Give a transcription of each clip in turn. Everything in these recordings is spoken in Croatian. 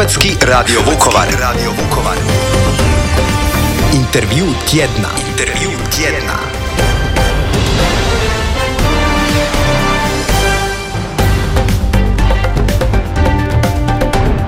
Hrvatski radio Vukovar. Intervju tjedna.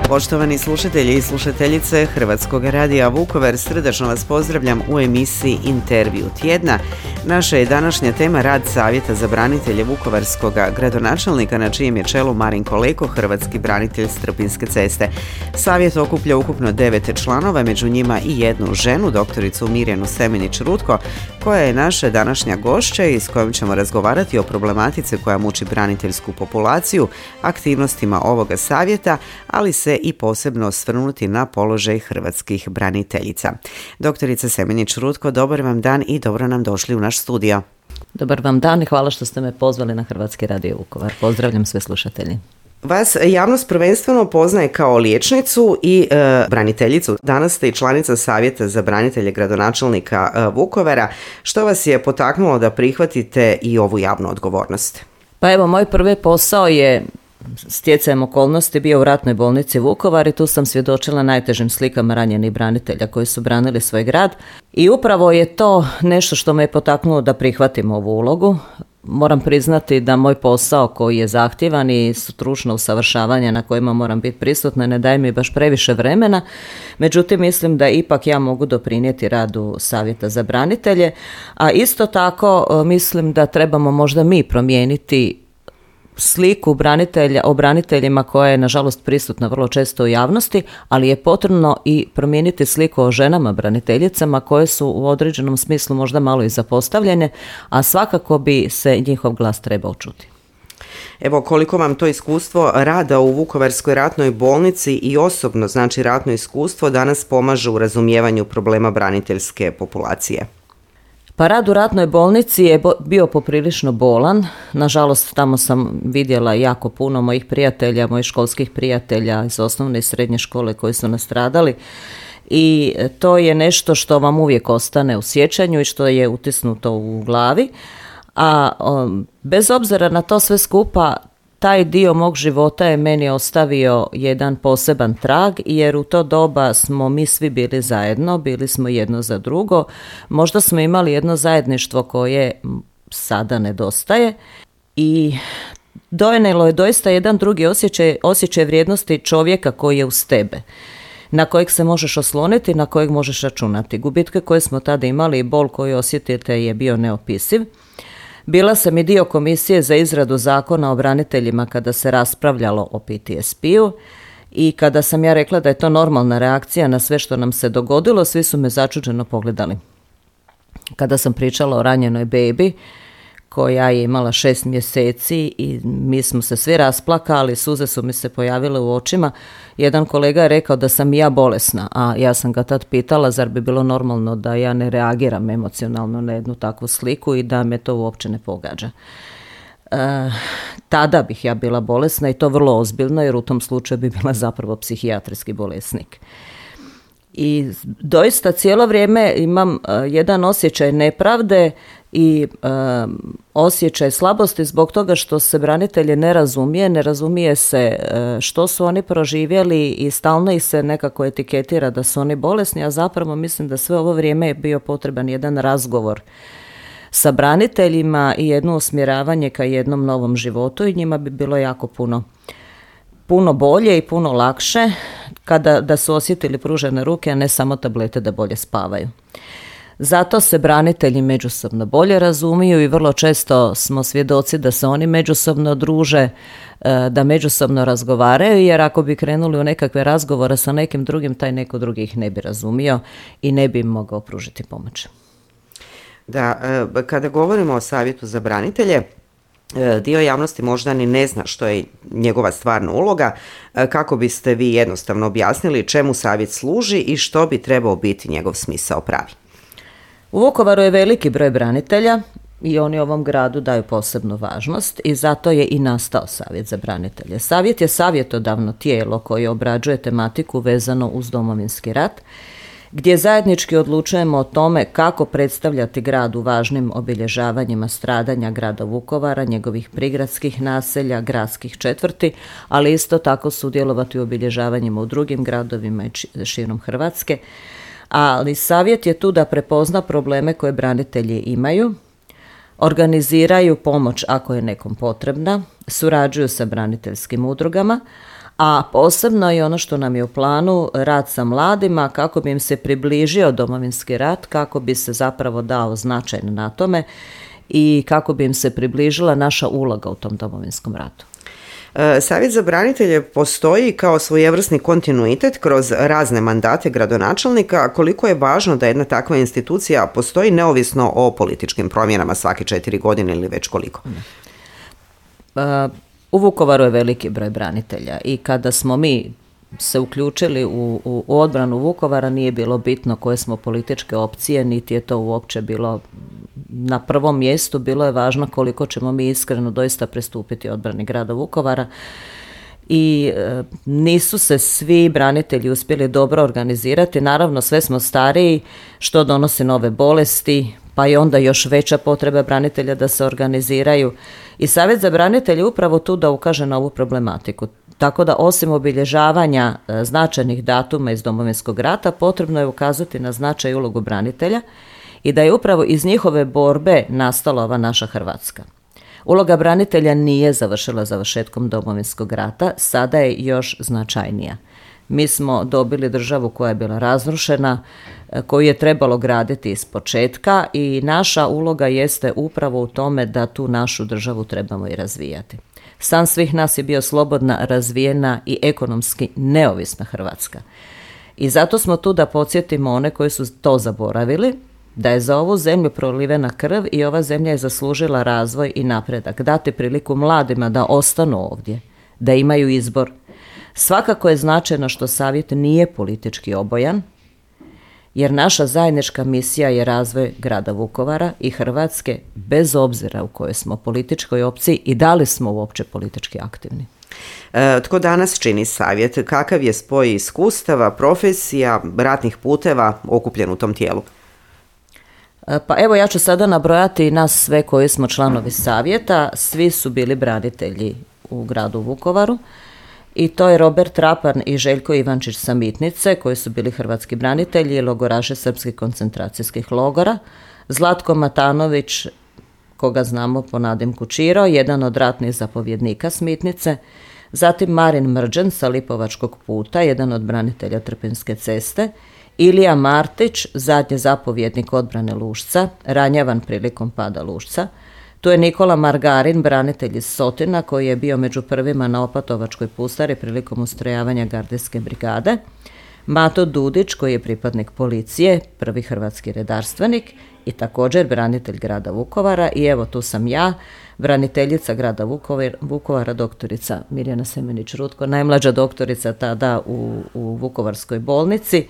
Poštovani slušatelji i slušateljice Hrvatskog radija Vukovar, srdačno vas pozdravljam u emisiji Intervju tjedna. Naša je današnja tema rad Savjeta za branitelje vukovarskog gradonačelnika, na čijem je čelu Marinko Leko, hrvatski branitelj s Trpinjske ceste. Savjet okuplja ukupno 9 članova, među njima i jednu ženu, doktoricu Mirjanu Semenić-Rutko, koja je naša današnja gošća i s kojom ćemo razgovarati o problematici koja muči braniteljsku populaciju, aktivnostima ovoga savjeta, ali se i posebno osvrnuti na položaj hrvatskih braniteljica. Doktorica Semenić-Rutko, dobar vam dan i dobro nam došli u naš studio. Dobar vam dan i hvala što ste me pozvali na Hrvatski radio Vukovar. Pozdravljam sve slušatelji. Vas javnost prvenstveno poznaje kao liječnicu i braniteljicu. Danas ste i članica Savjeta za branitelje gradonačelnika Vukovara. Što vas je potaknulo da prihvatite i ovu javnu odgovornost? Pa evo, moj prvi posao je stjecajem okolnosti bio u ratnoj bolnici Vukovar i tu sam svjedočila najtežim slikama ranjenih branitelja koji su branili svoj grad i upravo je to nešto što me je potaknulo da prihvatim ovu ulogu. Moram priznati da moj posao koji je zahtjevan i stručno usavršavanje na kojima moram biti prisutna ne daje mi baš previše vremena, međutim mislim da ipak ja mogu doprinijeti radu Savjeta za branitelje, a isto tako mislim da trebamo možda mi promijeniti sliku o braniteljima koja je nažalost prisutna vrlo često u javnosti, ali je potrebno i promijeniti sliku o ženama braniteljicama koje su u određenom smislu možda malo i zapostavljene, a svakako bi se njihov glas trebao čuti. Evo, koliko vam to iskustvo rada u Vukovarskoj ratnoj bolnici i osobno, znači ratno iskustvo, danas pomaže u razumijevanju problema braniteljske populacije? Pa rad u ratnoj bolnici je bio poprilično bolan. Nažalost, tamo sam vidjela jako puno mojih prijatelja, mojih školskih prijatelja iz osnovne i srednje škole koji su nastradali. I to je nešto što vam uvijek ostane u sjećanju i što je utisnuto u glavi. A bez obzira na to sve skupa, taj dio mog života je meni ostavio jedan poseban trag, jer u to doba smo mi svi bili zajedno, bili smo jedno za drugo. Možda smo imali jedno zajedništvo koje sada nedostaje i donijelo je doista jedan drugi osjećaj vrijednosti čovjeka koji je uz tebe, na kojeg se možeš osloniti, na kojeg možeš računati. Gubitke koje smo tada imali i bol koju osjetite je bio neopisiv. Bila sam i dio komisije za izradu zakona o braniteljima kada se raspravljalo o PTSP-u i kada sam ja rekla da je to normalna reakcija na sve što nam se dogodilo, svi su me začuđeno pogledali. Kada sam pričala o ranjenoj bebi koja je imala 6 mjeseci i mi smo se svi rasplakali, suze su mi se pojavile u očima, jedan kolega je rekao da sam i ja bolesna, a ja sam ga tad pitala zar bi bilo normalno da ja ne reagiram emocionalno na jednu takvu sliku i da me to uopće ne pogađa. Tada bih ja bila bolesna i to vrlo ozbiljno, jer u tom slučaju bi bila zapravo psihijatrijski bolesnik. I doista cijelo vrijeme imam jedan osjećaj nepravde i osjećaj slabosti zbog toga što se branitelje ne razumije se što su oni proživjeli i stalno ih se nekako etiketira da su oni bolesni, a zapravo mislim da sve ovo vrijeme je bio potreban jedan razgovor sa braniteljima i jedno usmjeravanje ka jednom novom životu i njima bi bilo jako puno bolje i puno lakše da su osjetili pružene ruke, a ne samo tablete da bolje spavaju. Zato se branitelji međusobno bolje razumiju i vrlo često smo svjedoci da se oni međusobno druže, da međusobno razgovaraju, jer ako bi krenuli u nekakve razgovore sa nekim drugim, taj neko drugi ih ne bi razumio i ne bi im mogao pružiti pomoć. Da, kada govorimo o Savjetu za branitelje, dio javnosti možda ni ne zna što je njegova stvarna uloga. Kako biste vi jednostavno objasnili čemu savjet služi i što bi trebao biti njegov smisao pravi? U Vukovaru je veliki broj branitelja i oni ovom gradu daju posebnu važnost i zato je i nastao Savjet za branitelje. Savjet je savjetodavno tijelo koje obrađuje tematiku vezano uz Domovinski rat gdje zajednički odlučujemo o tome kako predstavljati grad u važnim obilježavanjima stradanja grada Vukovara, njegovih prigradskih naselja, gradskih četvrti, ali isto tako sudjelovati u obilježavanjima u drugim gradovima i širom Hrvatske. Ali savjet je tu da prepozna probleme koje branitelji imaju, organiziraju pomoć ako je nekom potrebna, surađuju sa braniteljskim udrugama, a posebno i ono što nam je u planu, rad sa mladima kako bi im se približio Domovinski rat, kako bi se zapravo dao značaj na tome i kako bi im se približila naša uloga u tom Domovinskom ratu. Savjet za branitelje postoji kao svojevrsni kontinuitet kroz razne mandate gradonačelnika. Koliko je važno da jedna takva institucija postoji neovisno o političkim promjenama svake 4 godine ili već koliko? U Vukovaru je veliki broj branitelja i kada smo mi se uključili u odbranu Vukovara nije bilo bitno koje smo političke opcije, niti je to uopće bilo na prvom mjestu, bilo je važno koliko ćemo mi iskreno doista pristupiti odbrani grada Vukovara i nisu se svi branitelji uspjeli dobro organizirati, naravno sve smo stariji što donosi nove bolesti, pa je onda još veća potreba branitelja da se organiziraju i Savjet za branitelje upravo tu da ukaže na ovu problematiku. Tako da osim obilježavanja značajnih datuma iz Domovinskog rata potrebno je ukazati na značaj i ulogu branitelja i da je upravo iz njihove borbe nastala ova naša Hrvatska. Uloga branitelja nije završila završetkom Domovinskog rata, sada je još značajnija. Mi smo dobili državu koja je bila razrušena, koju je trebalo graditi iz početka i naša uloga jeste upravo u tome da tu našu državu trebamo i razvijati. San svih nas je bio slobodna, razvijena i ekonomski neovisna Hrvatska. I zato smo tu da podsjetimo one koji su to zaboravili, da je za ovu zemlju prolivena krv i ova zemlja je zaslužila razvoj i napredak. Dati priliku mladima da ostanu ovdje, da imaju izbor. Svakako je značajno što savjet nije politički obojan, jer naša zajednička misija je razvoj grada Vukovara i Hrvatske bez obzira u kojoj smo političkoj opciji i da li smo uopće politički aktivni. Tko danas čini savjet? Kakav je spoj iskustava, profesija, ratnih puteva okupljen u tom tijelu? Pa evo ja ću sada nabrojati nas sve koji smo članovi savjeta. Svi su bili branitelji u gradu Vukovaru. I to je Robert Trapan i Željko Ivančić sa Mitnice, koji su bili hrvatski branitelji i logoraši srpskih koncentracijskih logora. Zlatko Matanović, koga znamo po nadimku Čiro, jedan od ratnih zapovjednika s Mitnice. Zatim Marin Mrđan sa Lipovačkog puta, jedan od branitelja Trpinjske ceste. Ilija Martić, zadnji zapovjednik odbrane Lušca, ranjavan prilikom pada Lušca. Tu je Nikola Margarin, branitelj iz Sotina, koji je bio među prvima na Opatovačkoj pustari prilikom ustrojavanja gardijske brigade. Mato Dudić, koji je pripadnik policije, prvi hrvatski redarstvenik i također branitelj grada Vukovara. I evo tu sam ja, braniteljica grada Vukovara, doktorica Mirjana Semenić-Rutko, najmlađa doktorica tada u Vukovarskoj bolnici.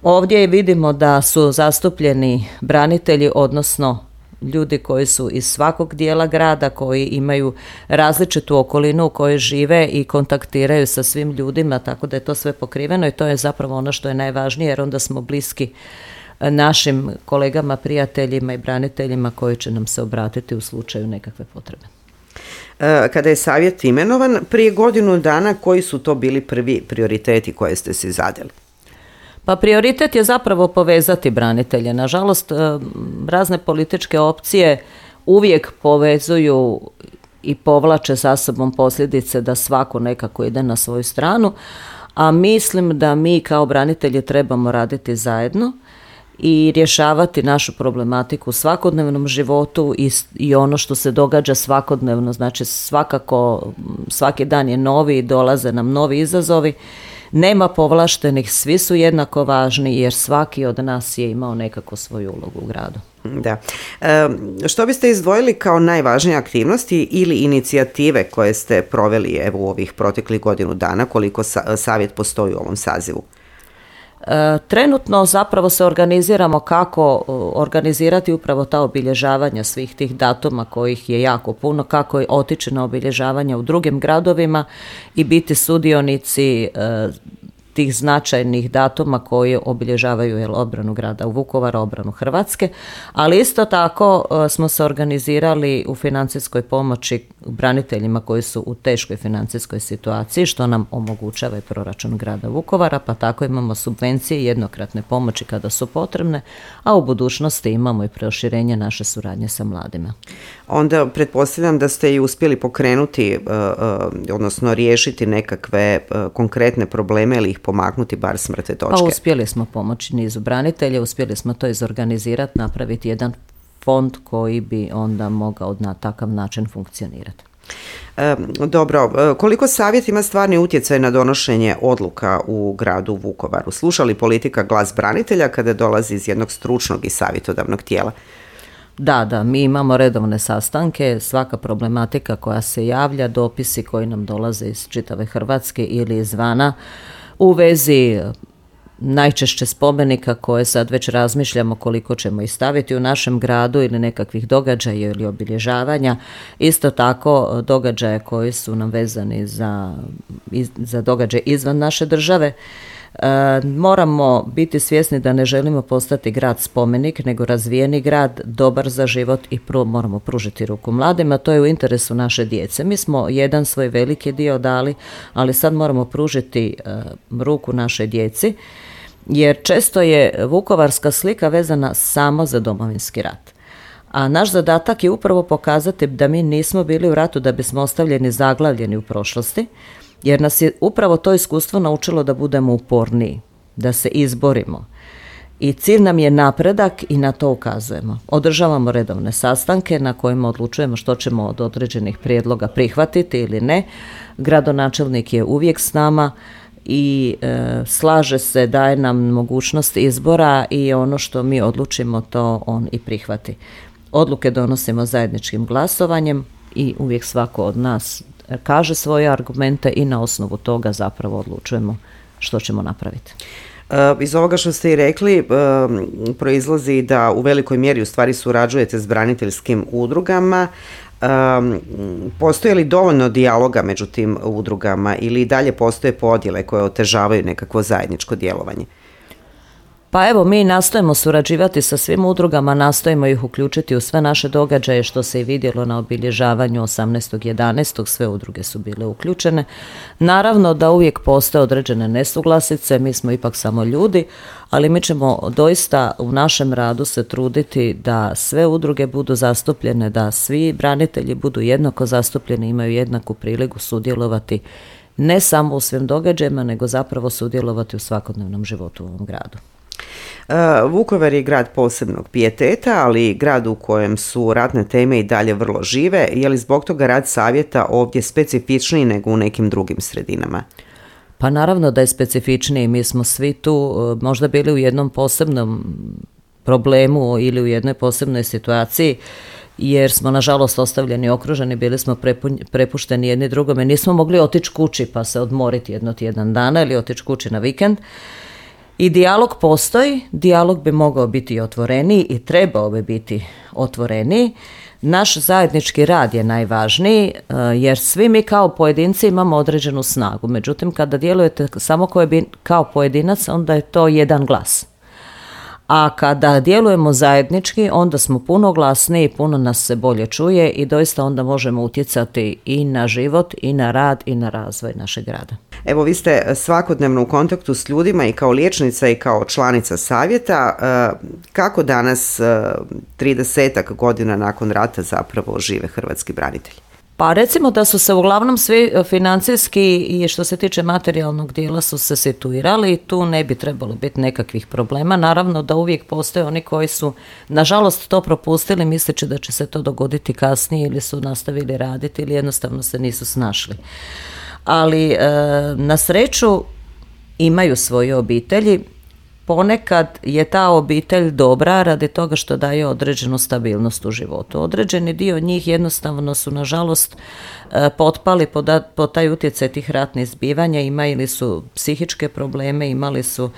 Ovdje vidimo da su zastupljeni branitelji, odnosno ljudi koji su iz svakog dijela grada, koji imaju različitu okolinu u kojoj žive i kontaktiraju sa svim ljudima, tako da je to sve pokriveno i to je zapravo ono što je najvažnije, jer onda smo bliski našim kolegama, prijateljima i braniteljima koji će nam se obratiti u slučaju nekakve potrebe. Kada je savjet imenovan prije godinu dana, koji su to bili prvi prioriteti koje ste si zadali? Pa prioritet je zapravo povezati branitelje. Nažalost, razne političke opcije uvijek povezuju i povlače sa sobom posljedice da svako nekako ide na svoju stranu, a mislim da mi kao branitelji trebamo raditi zajedno i rješavati našu problematiku u svakodnevnom životu i ono što se događa svakodnevno. Znači svakako svaki dan je novi i dolaze nam novi izazovi. Nema povlaštenih, svi su jednako važni jer svaki od nas je imao nekako svoju ulogu u gradu. Da. Što biste izdvojili kao najvažnije aktivnosti ili inicijative koje ste proveli evo u ovih proteklih godinu dana, koliko savjet postoji u ovom sazivu? Trenutno zapravo se organiziramo kako organizirati upravo ta obilježavanja svih tih datuma kojih je jako puno, kako otići na obilježavanja u drugim gradovima i biti sudionici tih značajnih datuma koji obilježavaju obranu grada Vukovara, obranu Hrvatske, ali isto tako smo se organizirali u financijskoj pomoći braniteljima koji su u teškoj financijskoj situaciji, što nam omogućava i proračun grada Vukovara, pa tako imamo subvencije i jednokratne pomoći kada su potrebne, a u budućnosti imamo i proširenje naše suradnje sa mladima. Onda pretpostavljam da ste i uspjeli pokrenuti, odnosno riješiti nekakve konkretne probleme ili ih pomaknuti bar s mrtve točke. Pa uspjeli smo pomoći nizu branitelja, uspjeli smo to izorganizirati, napraviti jedan fond koji bi onda mogao na takav način funkcionirati. Dobro, koliko savjet ima stvarni utjecaj na donošenje odluka u gradu Vukovaru? Sluša li politika glas branitelja kada dolazi iz jednog stručnog i savjetodavnog tijela? Da, mi imamo redovne sastanke, svaka problematika koja se javlja, dopisi koji nam dolaze iz čitave Hrvatske ili izvana u vezi najčešće spomenika koje sad već razmišljamo koliko ćemo ih staviti u našem gradu ili nekakvih događaja ili obilježavanja. Isto tako događaje koji su nam vezani za događaje izvan naše države. Moramo biti svjesni da ne želimo postati grad spomenik, nego razvijeni grad, dobar za život i moramo pružiti ruku mladima. To je u interesu naše djece. Mi smo jedan svoj veliki dio dali, ali sad moramo pružiti ruku našoj djeci, jer često je vukovarska slika vezana samo za Domovinski rat. A naš zadatak je upravo pokazati da mi nismo bili u ratu da bismo ostavljeni zaglavljeni u prošlosti, jer nas je upravo to iskustvo naučilo da budemo uporniji, da se izborimo. I cilj nam je napredak i na to ukazujemo. Održavamo redovne sastanke na kojima odlučujemo što ćemo od određenih prijedloga prihvatiti ili ne. Gradonačelnik je uvijek s nama i slaže se, daje nam mogućnost izbora i ono što mi odlučimo to on i prihvati. Odluke donosimo zajedničkim glasovanjem i uvijek svako od nas kaže svoje argumente i na osnovu toga zapravo odlučujemo što ćemo napraviti. Iz ovoga što ste i rekli proizlazi da u velikoj mjeri u stvari surađujete s braniteljskim udrugama. Postoje li dovoljno dijaloga među tim udrugama ili dalje postoje podjele koje otežavaju nekakvo zajedničko djelovanje? Pa evo, mi nastojimo surađivati sa svim udrugama, nastojimo ih uključiti u sve naše događaje, što se i vidjelo na obilježavanju 18.11. Sve udruge su bile uključene. Naravno da uvijek postoje određene nesuglasice, mi smo ipak samo ljudi, ali mi ćemo doista u našem radu se truditi da sve udruge budu zastupljene, da svi branitelji budu jednako zastupljeni, imaju jednaku priliku sudjelovati ne samo u svim događajima, nego zapravo sudjelovati u svakodnevnom životu u ovom gradu. Vukovar je grad posebnog pijeteta, ali grad u kojem su ratne teme i dalje vrlo žive. Je li zbog toga rad savjeta ovdje specifičniji nego u nekim drugim sredinama? Pa naravno da je specifičniji. Mi smo svi tu možda bili u jednom posebnom problemu ili u jednoj posebnoj situaciji, jer smo nažalost ostavljeni, okruženi, bili smo prepušteni jedni drugome. Nismo mogli otići kući pa se odmoriti tjedan dana ili otići kući na vikend. I dijalog postoji, dijalog bi mogao biti otvoreniji i trebao bi biti otvoreniji. Naš zajednički rad je najvažniji, jer svi mi kao pojedinci imamo određenu snagu. Međutim, kada djelujete samo kao pojedinac, onda je to jedan glas. A kada djelujemo zajednički, onda smo puno glasniji, puno nas se bolje čuje i doista onda možemo utjecati i na život, i na rad, i na razvoj našeg grada. Evo, vi ste svakodnevno u kontaktu s ljudima i kao liječnica i kao članica savjeta. Kako danas, 30-ak godina nakon rata, zapravo žive hrvatski branitelji? Pa recimo da su se uglavnom svi financijski i što se tiče materijalnog dijela su se situirali i tu ne bi trebalo biti nekakvih problema. Naravno da uvijek postoje oni koji su nažalost to propustili misleći da će se to dogoditi kasnije ili su nastavili raditi ili jednostavno se nisu snašli. Ali na sreću imaju svoje obitelji. Ponekad je ta obitelj dobra radi toga što daje određenu stabilnost u životu. Određeni dio njih jednostavno su nažalost potpali pod taj utjecaj tih ratnih zbivanja, imali su psihičke probleme, imali su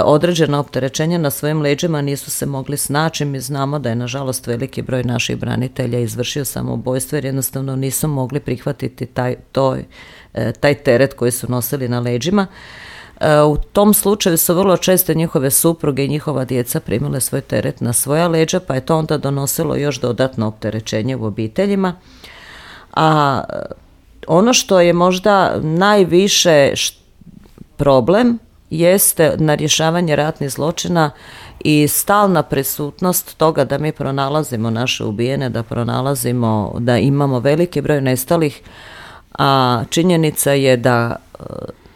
određena opterećenja na svojim leđima, nisu se mogli snaći. Mi znamo da je nažalost veliki broj naših branitelja izvršio samoubojstvo jer jednostavno nisu mogli prihvatiti taj teret koji su nosili na leđima. U tom slučaju su vrlo često njihove supruge i njihova djeca primile svoj teret na svoja leđa, pa je to onda donosilo još dodatno opterećenje u obiteljima. A ono što je možda najviše problem jeste na rješavanje ratnih zločina i stalna prisutnost toga da mi pronalazimo naše ubijene, da pronalazimo, da imamo veliki broj nestalih, a činjenica je da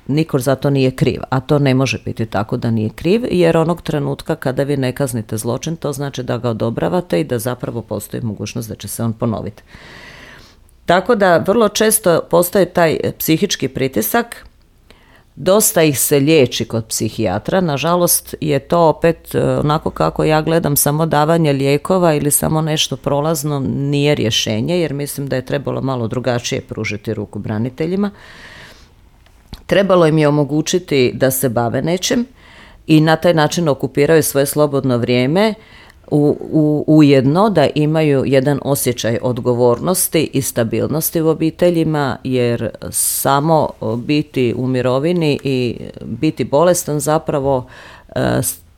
niko za to nije kriv, a to ne može biti tako da nije kriv, jer onog trenutka kada vi ne kaznite zločin, to znači da ga odobravate i da zapravo postoji mogućnost da će se on ponoviti. Tako da vrlo često postoji taj psihički pritisak, dosta ih se liječi kod psihijatra, nažalost je to opet onako kako ja gledam, samo davanje lijekova ili samo nešto prolazno nije rješenje, jer mislim da je trebalo malo drugačije pružiti ruku braniteljima. Trebalo im je omogućiti da se bave nečim i na taj način okupiraju svoje slobodno vrijeme, ujedno da imaju jedan osjećaj odgovornosti i stabilnosti u obiteljima, jer samo biti u mirovini i biti bolestan zapravo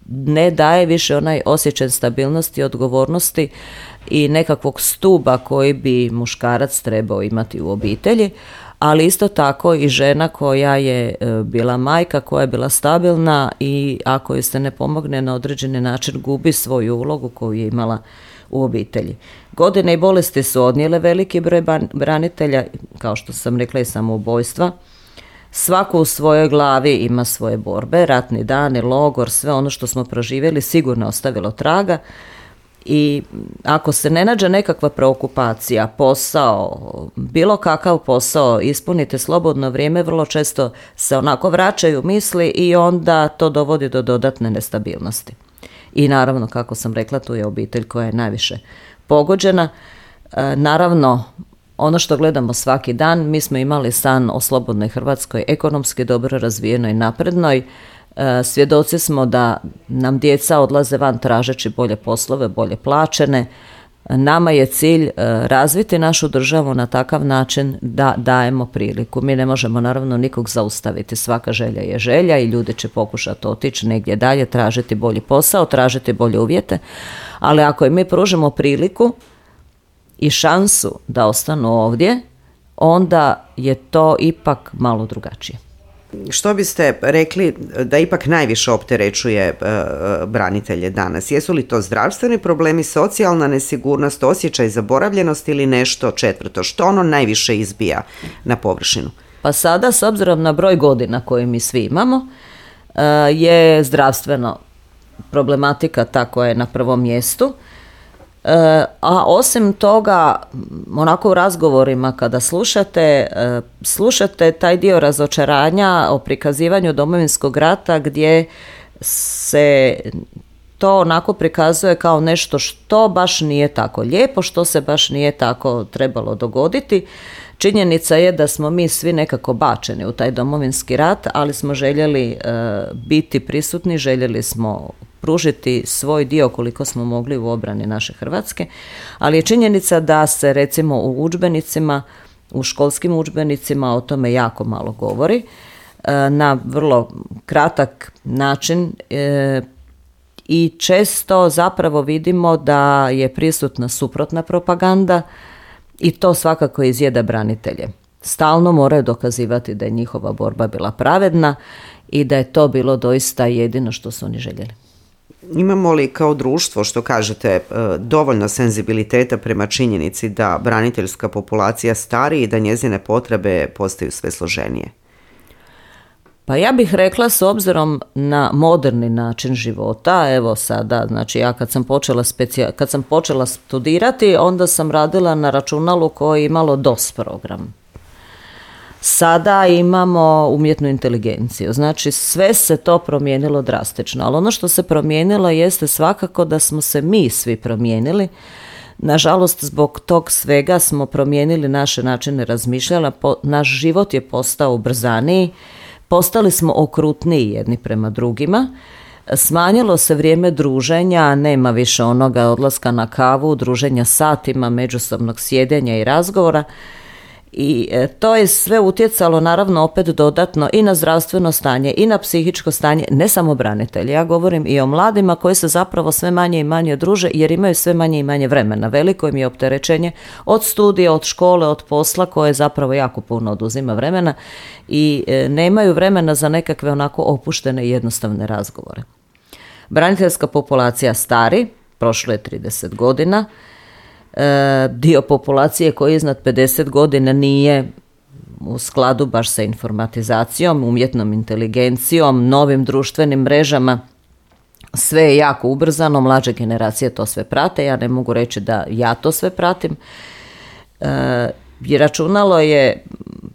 ne daje više onaj osjećaj stabilnosti i odgovornosti i nekakvog stuba koji bi muškarac trebao imati u obitelji, ali isto tako i žena koja je bila majka, koja je bila stabilna i ako joj se ne pomogne na određeni način gubi svoju ulogu koju je imala u obitelji. Godine i bolesti su odnijele veliki broj branitelja, kao što sam rekla i samoubojstva. Svako u svojoj glavi ima svoje borbe, ratni dani, logor, sve ono što smo proživjeli sigurno ostavilo traga. I ako se ne nađe nekakva preokupacija, posao, bilo kakav posao, ispunite slobodno vrijeme, vrlo često se onako vraćaju misli i onda to dovodi do dodatne nestabilnosti. I naravno, kako sam rekla, tu je obitelj koja je najviše pogođena. Naravno, ono što gledamo svaki dan, mi smo imali san o slobodnoj Hrvatskoj, ekonomski dobro razvijenoj, naprednoj. Svjedoci smo da nam djeca odlaze van tražeći bolje poslove, bolje plaćene. Nama je cilj razviti našu državu na takav način da dajemo priliku. Mi ne možemo naravno nikog zaustaviti, svaka želja je želja i ljudi će pokušati otići negdje dalje, tražiti bolji posao, tražiti bolje uvjete, ali ako im mi pružimo priliku i šansu da ostanu ovdje, onda je to ipak malo drugačije. Što biste rekli da ipak najviše opterećuje branitelje danas? Jesu li to zdravstveni problemi, socijalna nesigurnost, osjećaj zaboravljenosti ili nešto četvrto? Što ono najviše izbija na površinu? Pa sada, s obzirom na broj godina koje mi svi imamo, je zdravstveno problematika ta koja je na prvom mjestu. A osim toga, onako u razgovorima kada slušate taj dio razočaranja o prikazivanju Domovinskog rata gdje se to onako prikazuje kao nešto što baš nije tako lijepo, što se baš nije tako trebalo dogoditi. Činjenica je da smo mi svi nekako bačeni u taj Domovinski rat, ali smo željeli biti prisutni, željeli smo pružiti svoj dio koliko smo mogli u obrani naše Hrvatske, ali je činjenica da se recimo u udžbenicima, u školskim udžbenicima o tome jako malo govori, na vrlo kratak način i često zapravo vidimo da je prisutna suprotna propaganda i to svakako izjeda branitelje. Stalno moraju dokazivati da je njihova borba bila pravedna i da je to bilo doista jedino što su oni željeli. Imamo li kao društvo, što kažete, dovoljno senzibiliteta prema činjenici da braniteljska populacija stari i da njezine potrebe postaju sve složenije? Pa ja bih rekla, s obzirom na moderni način života, evo sada, znači ja kad sam počela studirati, onda sam radila na računalu koje je imalo DOS program. Sada imamo umjetnu inteligenciju, znači sve se to promijenilo drastično, ali ono što se promijenilo jeste svakako da smo se mi svi promijenili. Nažalost, zbog tog svega smo promijenili naše načine razmišljanja, naš život je postao ubrzaniji, postali smo okrutniji jedni prema drugima, smanjilo se vrijeme druženja, nema više onoga odlaska na kavu, druženja satima, međusobnog sjedenja i razgovora. I to je sve utjecalo naravno opet dodatno i na zdravstveno stanje i na psihičko stanje, ne samo branitelji. Ja govorim i o mladima koji se zapravo sve manje i manje druže jer imaju sve manje i manje vremena. Veliko im je opterećenje od studija, od škole, od posla koje zapravo jako puno oduzima vremena i nemaju vremena za nekakve onako opuštene i jednostavne razgovore. Braniteljska populacija stari, prošlo je 30 godina, dio populacije koji je iznad 50 godina nije u skladu baš sa informatizacijom, umjetnom inteligencijom, novim društvenim mrežama. Sve je jako ubrzano, mlađe generacije to sve prate, ja ne mogu reći da ja to sve pratim. I računalo je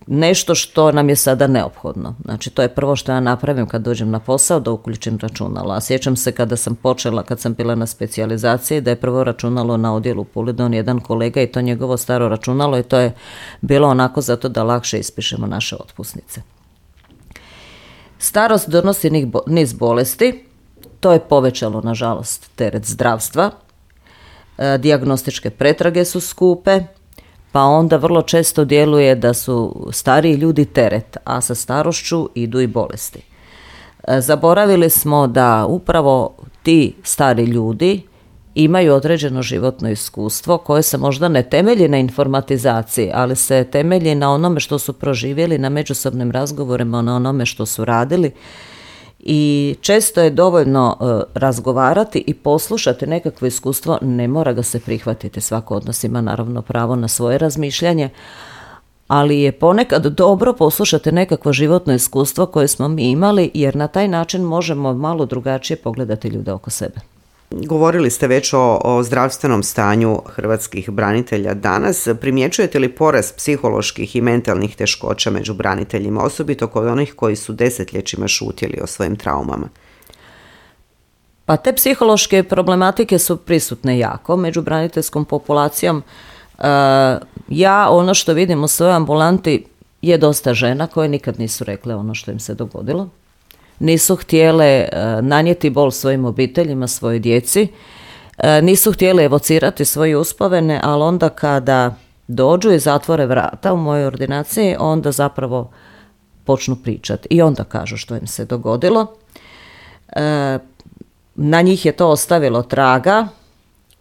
nešto što nam je sada neophodno. Znači, to je prvo što ja napravim kad dođem na posao, da uključim računalo. A sjećam se kada sam bila na specijalizaciji, da je prvo računalo na odjelu u Puli donio jedan kolega i to njegovo staro računalo i to je bilo onako zato da lakše ispišemo naše otpusnice. Starost donosi niz bolesti, to je povećalo, nažalost, teret zdravstva. Dijagnostičke pretrage su skupe, pa onda vrlo često djeluje da su stariji ljudi teret, a sa starošću idu i bolesti. Zaboravili smo da upravo ti stari ljudi imaju određeno životno iskustvo koje se možda ne temelji na informatizaciji, ali se temelji na onome što su proživjeli, na međusobnim razgovorima, na onome što su radili. I često je dovoljno razgovarati i poslušati nekakvo iskustvo, ne mora ga se prihvatiti. Svako od nas ima naravno pravo na svoje razmišljanje, ali je ponekad dobro poslušati nekakvo životno iskustvo koje smo mi imali, jer na taj način možemo malo drugačije pogledati ljude oko sebe. Govorili ste već o zdravstvenom stanju hrvatskih branitelja danas. Primjećujete li porast psiholoških i mentalnih teškoća među braniteljima, osobito kod onih koji su desetljećima šutjeli o svojim traumama? Pa te psihološke problematike su prisutne jako među braniteljskom populacijom. Ja ono što vidim u svojoj ambulanti je dosta žena koje nikad nisu rekle ono što im se dogodilo. Nisu htjele nanijeti bol svojim obiteljima, svojoj djeci, nisu htjele evocirati svoje uspomene, ali onda kada dođu i zatvore vrata u mojoj ordinaciji, onda zapravo počnu pričati i onda kažu što im se dogodilo. Na njih je to ostavilo traga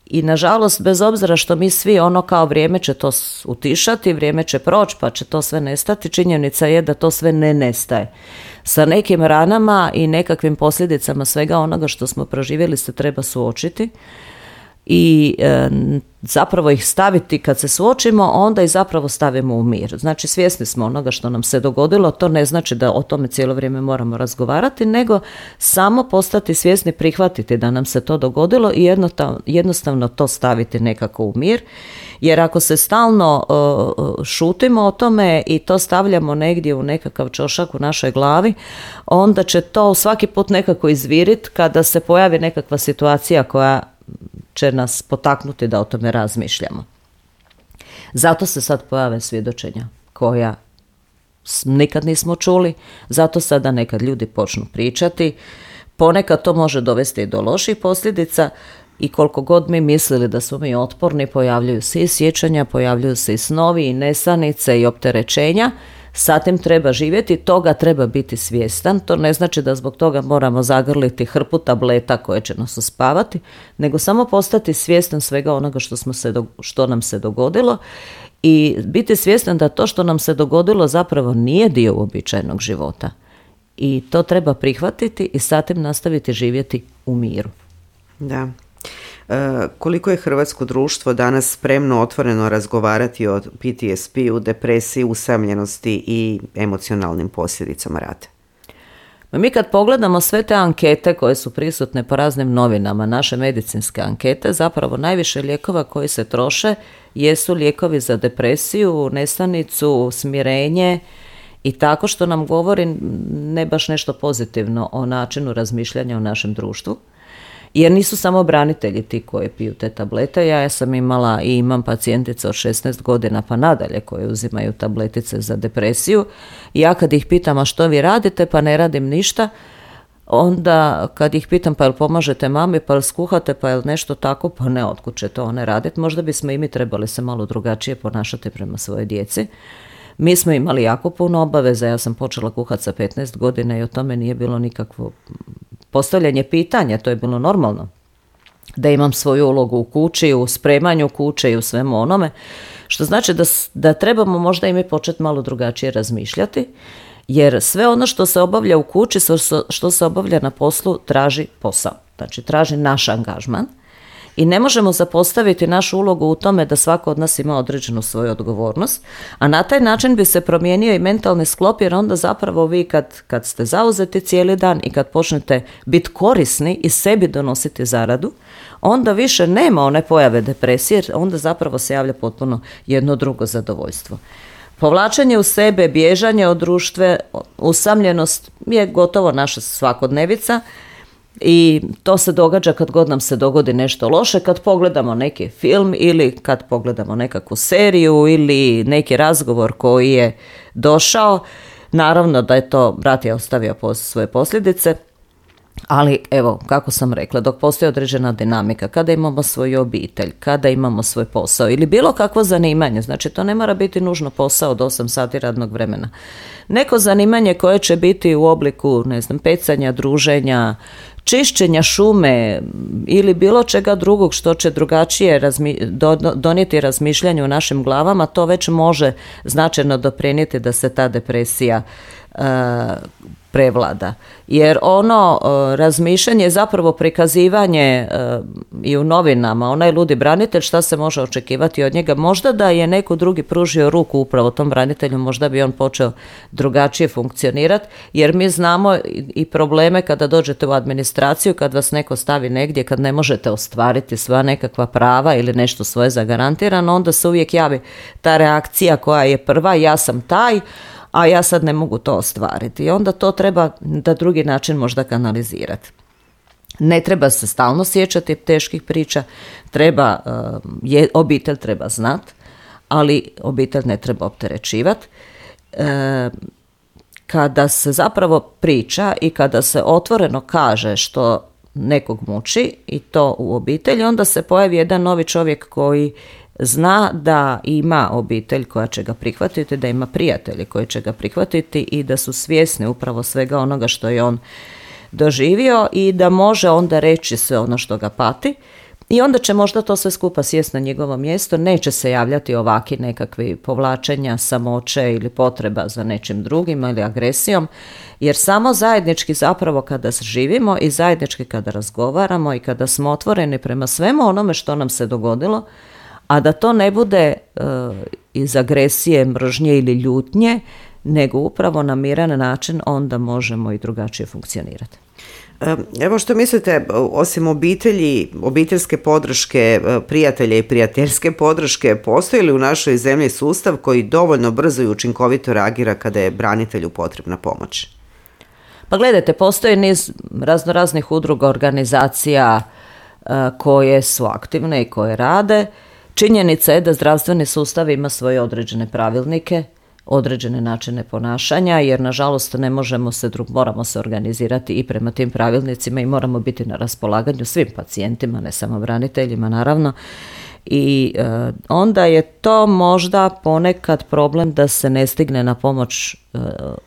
i nažalost, bez obzira što mi svi ono kao vrijeme će to utišati, vrijeme će proći pa će to sve nestati, činjenica je da to sve ne nestaje. Sa nekim ranama i nekakvim posljedicama svega onoga što smo proživjeli se treba suočiti i zapravo ih staviti, kad se suočimo, onda i zapravo stavimo u mir. Znači, svjesni smo onoga što nam se dogodilo, to ne znači da o tome cijelo vrijeme moramo razgovarati, nego samo postati svjesni, prihvatiti da nam se to dogodilo i jednostavno to staviti nekako u mir. Jer ako se stalno šutimo o tome i to stavljamo negdje u nekakav čošak u našoj glavi, onda će to svaki put nekako izviriti kada se pojavi nekakva situacija koja će nas potaknuti da o tome razmišljamo. Zato se sad pojave svjedočenja koja nikad nismo čuli, zato sada nekad ljudi počnu pričati. Ponekad to može dovesti i do loših posljedica i koliko god mi mislili da smo mi otporni, pojavljuju se i sjećanja, pojavljuju se i snovi i nesanice i opterećenja. Sa tim treba živjeti, toga treba biti svjestan. To ne znači da zbog toga moramo zagrliti hrpu tableta koje će nas uspavati, nego samo postati svjestan svega onoga što nam se dogodilo i biti svjestan da to što nam se dogodilo zapravo nije dio uobičajenog života. I to treba prihvatiti i sa tim nastaviti živjeti u miru. Da. Koliko je hrvatsko društvo danas spremno otvoreno razgovarati o PTSP-u, depresiji, usamljenosti i emocionalnim posljedicama rata? Mi kad pogledamo sve te ankete koje su prisutne po raznim novinama, naše medicinske ankete, zapravo najviše lijekova koji se troše jesu lijekovi za depresiju, nesanicu, smirenje i tako, što nam govori ne baš nešto pozitivno o načinu razmišljanja u našem društvu. Jer nisu samo branitelji ti koji piju te tablete. Ja sam imala i imam pacijentice od 16 godina pa nadalje koje uzimaju tabletice za depresiju. I ja kad ih pitam a što vi radite, pa ne radim ništa, onda kad ih pitam pa jel pomažete mami, pa jel skuhate, pa jel nešto tako, pa ne, otkud će to one raditi. Možda bismo i mi trebali se malo drugačije ponašati prema svojoj djeci. Mi smo imali jako puno obaveza, ja sam počela kuhati sa 15 godina i o tome nije bilo nikakvo postavljanje pitanja, to je bilo normalno. Da imam svoju ulogu u kući, u spremanju kuće i u svemu onome, što znači da trebamo možda i mi početi malo drugačije razmišljati, jer sve ono što se obavlja u kući, što se obavlja na poslu, traži posao, znači traži naš angažman. I ne možemo zapostaviti našu ulogu u tome da svako od nas ima određenu svoju odgovornost, a na taj način bi se promijenio i mentalni sklop, jer onda zapravo vi kad ste zauzeti cijeli dan i kad počnete biti korisni i sebi donositi zaradu, onda više nema one pojave depresije, jer onda zapravo se javlja potpuno jedno drugo zadovoljstvo. Povlačenje u sebe, bježanje od društva, usamljenost je gotovo naša svakodnevica. I to se događa kad god nam se dogodi nešto loše, kad pogledamo neki film ili kad pogledamo nekakvu seriju ili neki razgovor koji je došao. Naravno da je to, brat je ostavio svoje posljedice, ali evo, kako sam rekla, dok postoji određena dinamika, kada imamo svoju obitelj, kada imamo svoj posao ili bilo kakvo zanimanje, znači to ne mora biti nužno posao od 8 sati radnog vremena. Neko zanimanje koje će biti u obliku, ne znam, pecanja, druženja, čišćenja šume ili bilo čega drugog što će drugačije donijeti razmišljanje u našim glavama, to već može značajno doprinijeti da se ta depresija prevlada. Jer ono razmišljanje je zapravo prikazivanje i u novinama, onaj ludi branitelj, šta se može očekivati od njega. Možda da je neko drugi pružio ruku upravo tom branitelju, možda bi on počeo drugačije funkcionirati, jer mi znamo i probleme kada dođete u administraciju, kad vas neko stavi negdje, kad ne možete ostvariti sva nekakva prava ili nešto svoje zagarantirano, onda se uvijek javi ta reakcija koja je prva, ja sam taj, a ja sad ne mogu to ostvariti. I onda to treba na drugi način možda kanalizirati. Ne treba se stalno sjećati teških priča, obitelj treba znati, ali obitelj ne treba opterećivati. Kada se zapravo priča i kada se otvoreno kaže što nekog muči i to u obitelji, onda se pojavi jedan novi čovjek koji zna da ima obitelj koja će ga prihvatiti, da ima prijatelji koji će ga prihvatiti i da su svjesni upravo svega onoga što je on doživio i da može onda reći sve ono što ga pati i onda će možda to sve skupa sjesti na njegovo mjesto, neće se javljati ovaki nekakvi povlačenja, samoće ili potreba za nečim drugim ili agresijom, jer samo zajednički zapravo kada živimo i zajednički kada razgovaramo i kada smo otvoreni prema svemu onome što nam se dogodilo, a da to ne bude iz agresije, mržnje ili ljutnje, nego upravo na miran način, onda možemo i drugačije funkcionirati. Evo što mislite, osim obitelji, obiteljske podrške, prijatelja i prijateljske podrške, postoji li u našoj zemlji sustav koji dovoljno brzo i učinkovito reagira kada je branitelju potrebna pomoć? Pa gledajte, postoji niz raznoraznih udruga, organizacija koje su aktivne i koje rade. Činjenica je da zdravstveni sustav ima svoje određene pravilnike, određene načine ponašanja, jer nažalost ne možemo moramo se organizirati i prema tim pravilnicima i moramo biti na raspolaganju svim pacijentima, ne samo braniteljima naravno. I onda je to možda ponekad problem da se ne stigne na pomoć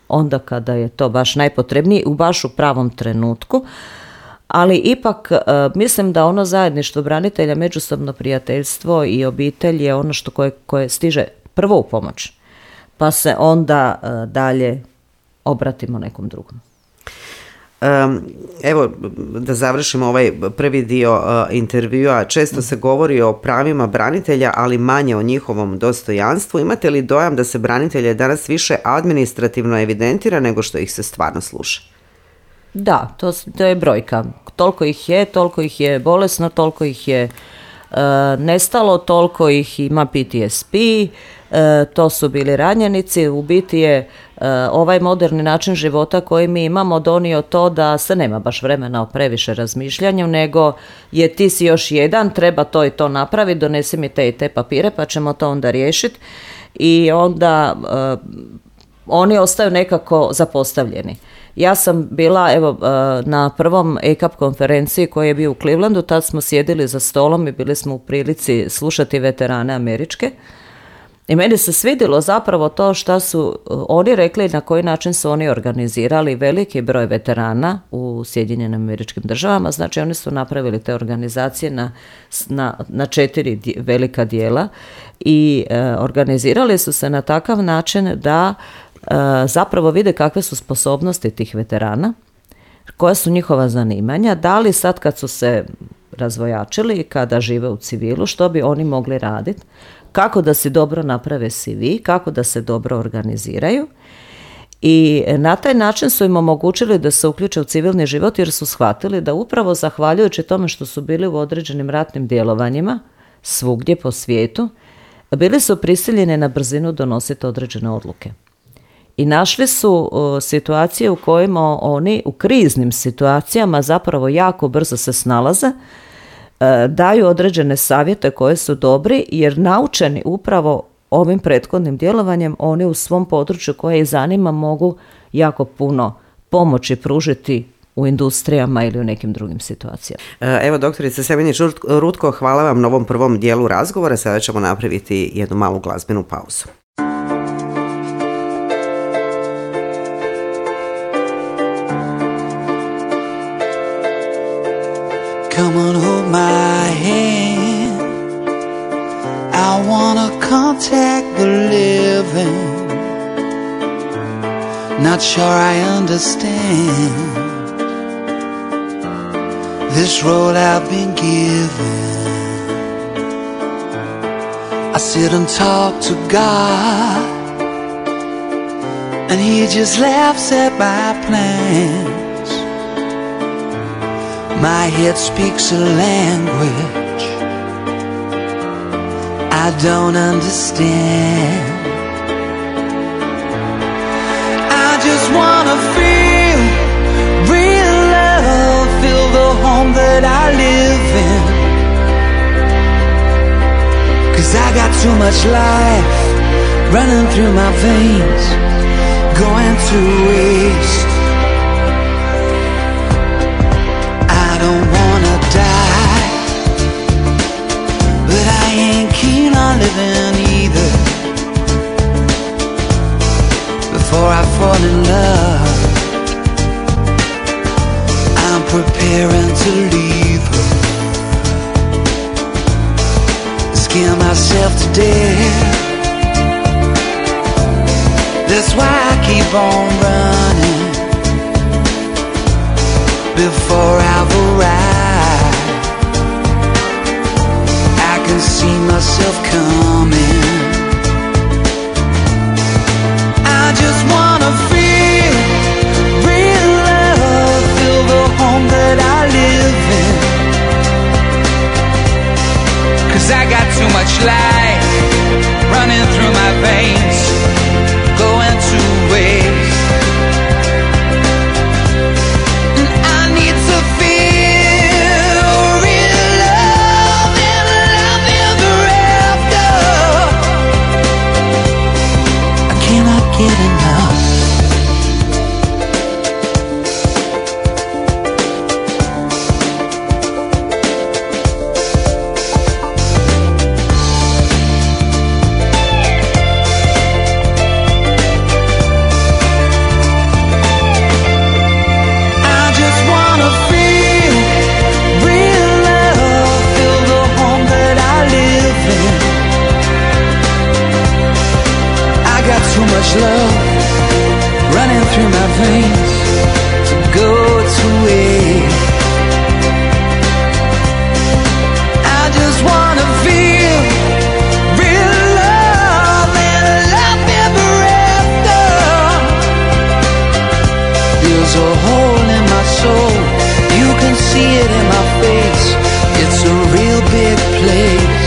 onda kada je to baš najpotrebnije, baš u pravom trenutku. Ali ipak mislim da ono zajedništvo branitelja, međusobno prijateljstvo i obitelj je ono što koje stiže prvo u pomoć, pa se onda dalje obratimo nekom drugom. Evo, da završimo ovaj prvi dio intervjua. Često se govori o pravima branitelja, ali manje o njihovom dostojanstvu. Imate li dojam da se branitelje danas više administrativno evidentira nego što ih se stvarno sluša? Da, to je brojka. Toliko ih je bolesno, toliko ih je nestalo, toliko ih ima PTSP, to su bili ranjenici. U biti je ovaj moderni način života koji mi imamo donio to da se nema baš vremena o previše razmišljanju, nego je ti si još jedan, treba to i to napraviti, donesi mi te i te papire pa ćemo to onda riješiti. I onda oni ostaju nekako zapostavljeni. Ja sam bila na prvom ECAP konferenciji koji je bio u Clevelandu, tad smo sjedili za stolom i bili smo u prilici slušati veterane američke. I meni se svidjelo zapravo to što su oni rekli, na koji način su oni organizirali veliki broj veterana u Sjedinjenim Američkim Državama. Znači oni su napravili te organizacije na 4 velika dijela i organizirali su se na takav način da zapravo vide kakve su sposobnosti tih veterana, koja su njihova zanimanja, da li sad kad su se razvojačili, kada žive u civilu, što bi oni mogli raditi, kako da si dobro naprave CV, kako da se dobro organiziraju i na taj način su im omogućili da se uključe u civilni život jer su shvatili da upravo zahvaljujući tome što su bili u određenim ratnim djelovanjima svugdje po svijetu, bili su prisiljeni na brzinu donositi određene odluke. I našli su situacije u kojima oni u kriznim situacijama zapravo jako brzo se snalaze, daju određene savjete koje su dobri jer naučeni upravo ovim prethodnim djelovanjem oni u svom području koje ih zanima mogu jako puno pomoći pružiti u industrijama ili u nekim drugim situacijama. Evo, doktorice Semenić-Rutko, hvala vam na ovom prvom dijelu razgovora. Sada ćemo napraviti jednu malu glazbenu pauzu. Come on, hold my hand. I wanna contact the living. Not sure I understand this road I've been given. I sit and talk to God, and He just laughs at my plans. My head speaks a language I don't understand. I just wanna feel real love, feel the home that I live in. 'Cause I got too much life running through my veins, going to waste. I don't wanna die, but I ain't keen on living either. Before I fall in love, I'm preparing to leave her. Scare myself to death. That's why I keep on running. Before I've arrived, I can see myself coming. I just wanna feel real love, feel the home that I live in. 'Cause I got too much life running through my veins, going to waste. Get enough. I just wanna feel real love, feel the home that I live in. I got too much love running through my veins to go to waste. I just wanna feel real love and love ever after. There's a hole in my soul, you can see it in my face. It's a real big place.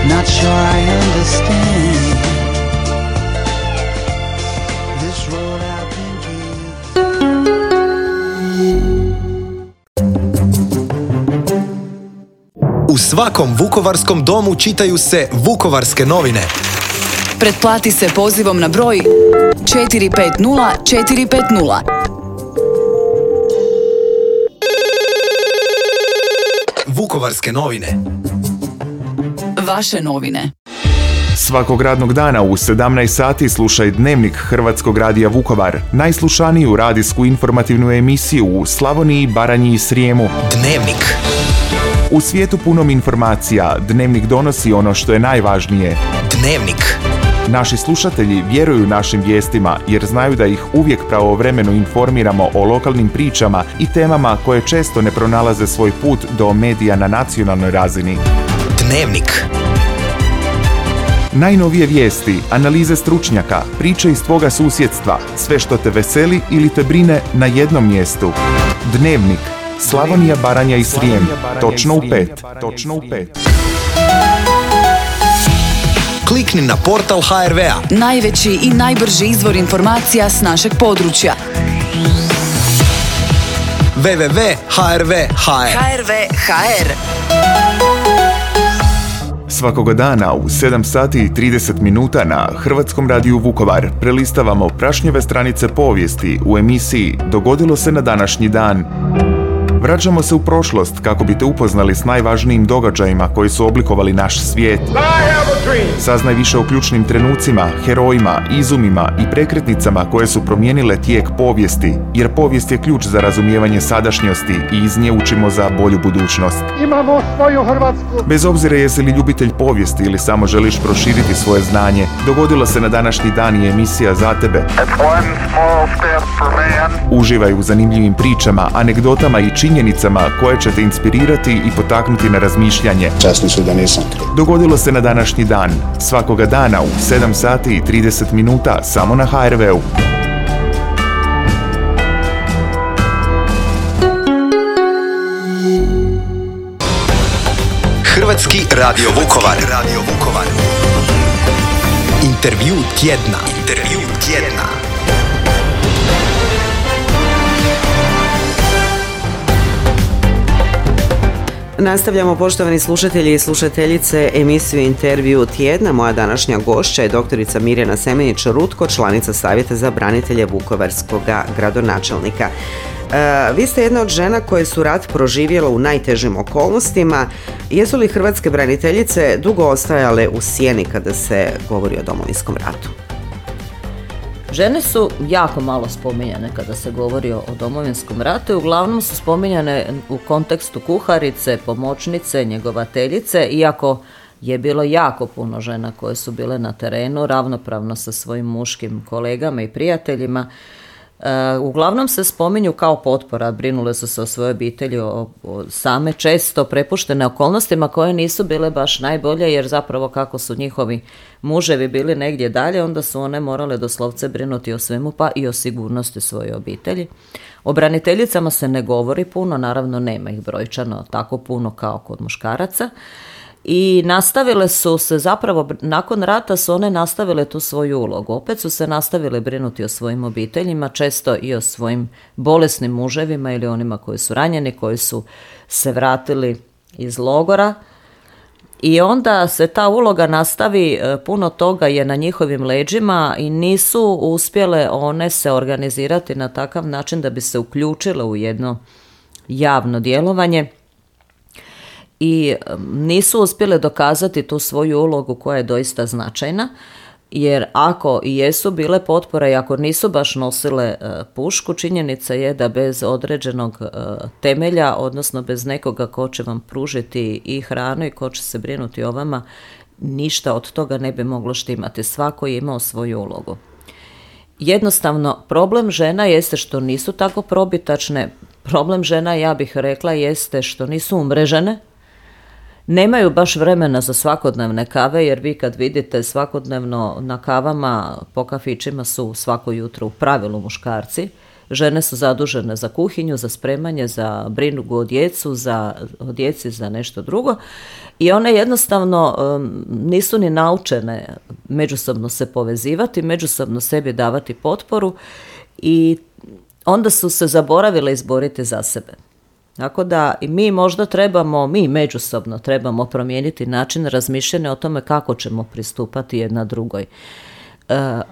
Not sure I understand what I've been given. U svakom vukovarskom domu čitaju se Vukovarske novine. Pretplati se pozivom na broj 450 450. Vukovarske novine. Vaše novine. Svakog radnog dana u 17 sati slušaj Dnevnik Hrvatskog radija Vukovar, najslušaniju radijsku informativnu emisiju u Slavoniji, Baranji i Srijemu. Dnevnik. U svijetu punom informacija, Dnevnik donosi ono što je najvažnije. Dnevnik. Naši slušatelji vjeruju našim vijestima jer znaju da ih uvijek pravovremeno informiramo o lokalnim pričama i temama koje često ne pronalaze svoj put do medija na nacionalnoj razini. Dnevnik. Najnovije vijesti, analize stručnjaka, priče iz tvoga susjedstva, sve što te veseli ili te brine na jednom mjestu. Dnevnik. Slavonija, Baranja i Srijem. Točno u 5. Klikni na portal HRV-a. Najveći i najbrži izvor informacija s našeg područja. www.hrv.hr. HRV.hr. Svakoga dana u 7 sati i 30 minuta na Hrvatskom radiju Vukovar prelistavamo prašnjeve stranice povijesti u emisiji Dogodilo se na današnji dan. Vraćamo se u prošlost kako bi te upoznali s najvažnijim događajima koji su oblikovali naš svijet. Saznaj više o ključnim trenucima, herojima, izumima i prekretnicama koje su promijenile tijek povijesti, jer povijest je ključ za razumijevanje sadašnjosti i iz nje učimo za bolju budućnost. Imamo svoju Hrvatsku. Bez obzira jesi li ljubitelj povijesti ili samo želiš proširiti svoje znanje, Dogodilo se na današnji dan i emisija za tebe. Uživaj u zanimljivim pričama, anegdotama i činjenicama koje će te inspirirati i potaknuti na razmišljanje. Časni su da nisam kriv. Dogodilo se na današnji dan, svakoga dana u 7 sati i 30 minuta samo na HRV-u. Hrvatski radio Vukovar. Intervju tjedna. Nastavljamo, poštovani slušatelji i slušateljice, emisiju Intervju tjedna. Moja današnja gošća je doktorica Mirjana Semenić-Rutko, članica Savjeta za branitelje Vukovarskog gradonačelnika. Vi ste jedna od žena koje su rat proživjela u najtežim okolnostima. Jesu li hrvatske braniteljice dugo ostajale u sjeni kada se govori o Domovinskom ratu? Žene su jako malo spominjane kada se govori o Domovinskom ratu i uglavnom su spominjane u kontekstu kuharice, pomoćnice, njegovateljice, iako je bilo jako puno žena koje su bile na terenu ravnopravno sa svojim muškim kolegama i prijateljima. Uglavnom se spominju kao potpora, brinule su se o svojoj obitelji, o same često prepuštene okolnostima koje nisu bile baš najbolje, jer zapravo kako su njihovi muževi bili negdje dalje, onda su one morale doslovce brinuti o svemu, pa i o sigurnosti svoje obitelji. O braniteljicama se ne govori puno, naravno nema ih brojčano tako puno kao kod muškaraca. I nastavile su se zapravo, nakon rata su one nastavile tu svoju ulogu. Opet su se nastavile brinuti o svojim obiteljima, često i o svojim bolesnim muževima ili onima koji su ranjeni, koji su se vratili iz logora. I onda se ta uloga nastavi, puno toga je na njihovim leđima i nisu uspjele one se organizirati na takav način da bi se uključile u jedno javno djelovanje. I nisu uspjele dokazati tu svoju ulogu koja je doista značajna, jer ako i jesu bile potpore i ako nisu baš nosile pušku, činjenica je da bez određenog temelja, odnosno bez nekoga ko će vam pružiti i hranu i ko će se brinuti o vama, ništa od toga ne bi moglo štimati. Svako je imao svoju ulogu. Jednostavno, problem žena jeste što nisu tako probitačne. Problem žena, ja bih rekla, jeste što nisu umrežene. Nemaju baš vremena za svakodnevne kave, jer vi kad vidite svakodnevno na kavama po kafićima su svako jutro u pravilu muškarci žene su zadužene za kuhinju, za spremanje, za brinugu o djeci, za nešto drugo i one jednostavno nisu ni naučene međusobno se povezivati, međusobno sebi davati potporu i onda su se zaboravile izboriti za sebe. Tako da i mi možda mi međusobno trebamo promijeniti način razmišljanja o tome kako ćemo pristupati jedna drugoj.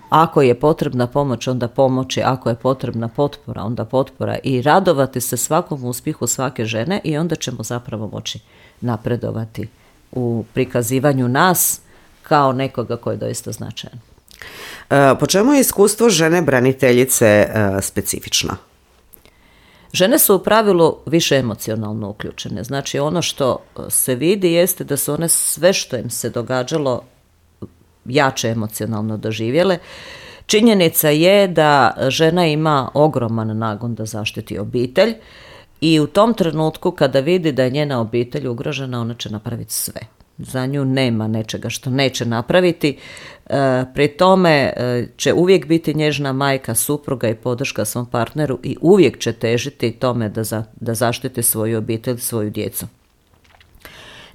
Ako je potrebna pomoć, onda pomoći, ako je potrebna potpora, onda potpora i radovati se svakom uspjehu svake žene i onda ćemo zapravo moći napredovati u prikazivanju nas kao nekoga koji je doista značajan. Po čemu je iskustvo žene braniteljice specifično? Žene su u pravilu više emocionalno uključene. Znači ono što se vidi jeste da su one sve što im se događalo jače emocionalno doživjele. Činjenica je da žena ima ogroman nagon da zaštiti obitelj i u tom trenutku kada vidi da je njena obitelj ugrožena, ona će napraviti sve. Za nju nema nečega što neće napraviti. Pri tome će uvijek biti nježna majka, supruga i podrška svom partneru i uvijek će težiti tome da zaštiti svoju obitelj, svoju djecu.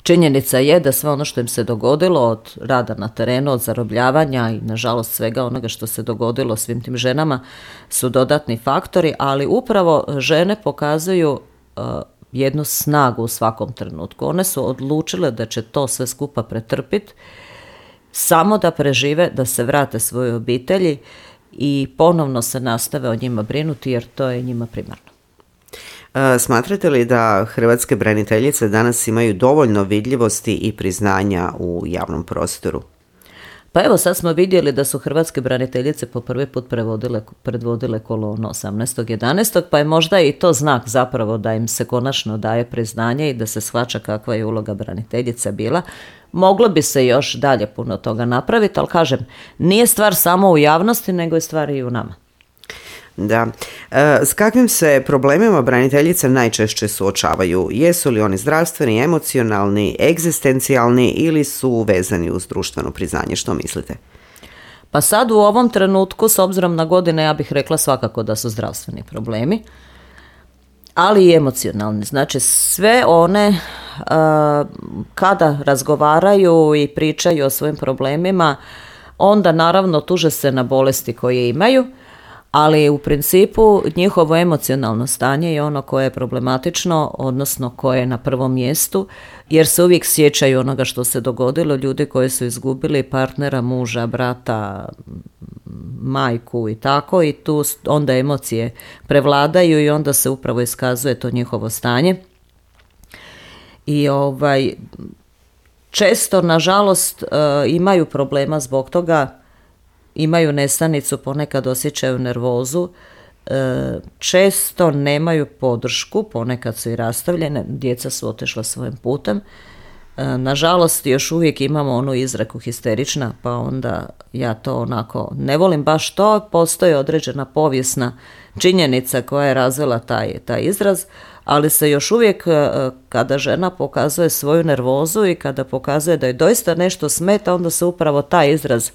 Činjenica je da sve ono što im se dogodilo od rada na terenu, od zarobljavanja i nažalost svega onoga što se dogodilo svim tim ženama su dodatni faktori, ali upravo žene pokazuju jednu snagu u svakom trenutku. One su odlučile da će to sve skupa pretrpiti, samo da prežive, da se vrate svojoj obitelji i ponovno se nastave o njima brinuti jer to je njima primarno. Smatrate li da hrvatske braniteljice danas imaju dovoljno vidljivosti i priznanja u javnom prostoru? Pa evo sad smo vidjeli da su hrvatske braniteljice po prvi put predvodile kolonu 18.11. pa je možda i to znak zapravo da im se konačno daje priznanje i da se shvaća kakva je uloga braniteljica bila. Moglo bi se još dalje puno toga napraviti, ali kažem, nije stvar samo u javnosti, nego je stvar i u nama. Da. S kakvim se problemima braniteljice najčešće suočavaju? Jesu li oni zdravstveni, emocionalni, egzistencijalni ili su vezani uz društveno priznanje? Što mislite? Pa sad u ovom trenutku, s obzirom na godine, ja bih rekla svakako da su zdravstveni problemi, ali i emocionalni. Znači sve one kada razgovaraju i pričaju o svojim problemima, onda naravno tuže se na bolesti koje imaju, ali u principu njihovo emocionalno stanje je ono koje je problematično, odnosno koje je na prvom mjestu, jer se uvijek sjećaju onoga što se dogodilo, ljudi koji su izgubili partnera, muža, brata, majku i tako, i tu onda emocije prevladaju i onda se upravo iskazuje to njihovo stanje. I često, nažalost, imaju problema zbog toga, imaju nesanicu, ponekad osjećaju nervozu, često nemaju podršku, ponekad su i rastavljene, djeca su otišla svojim putem. Nažalost, još uvijek imamo onu izreku histerična, pa onda ja to onako ne volim baš to, postoji određena povijesna činjenica koja je razvila taj izraz, ali se još uvijek kada žena pokazuje svoju nervozu i kada pokazuje da je doista nešto smeta, onda se upravo taj izraz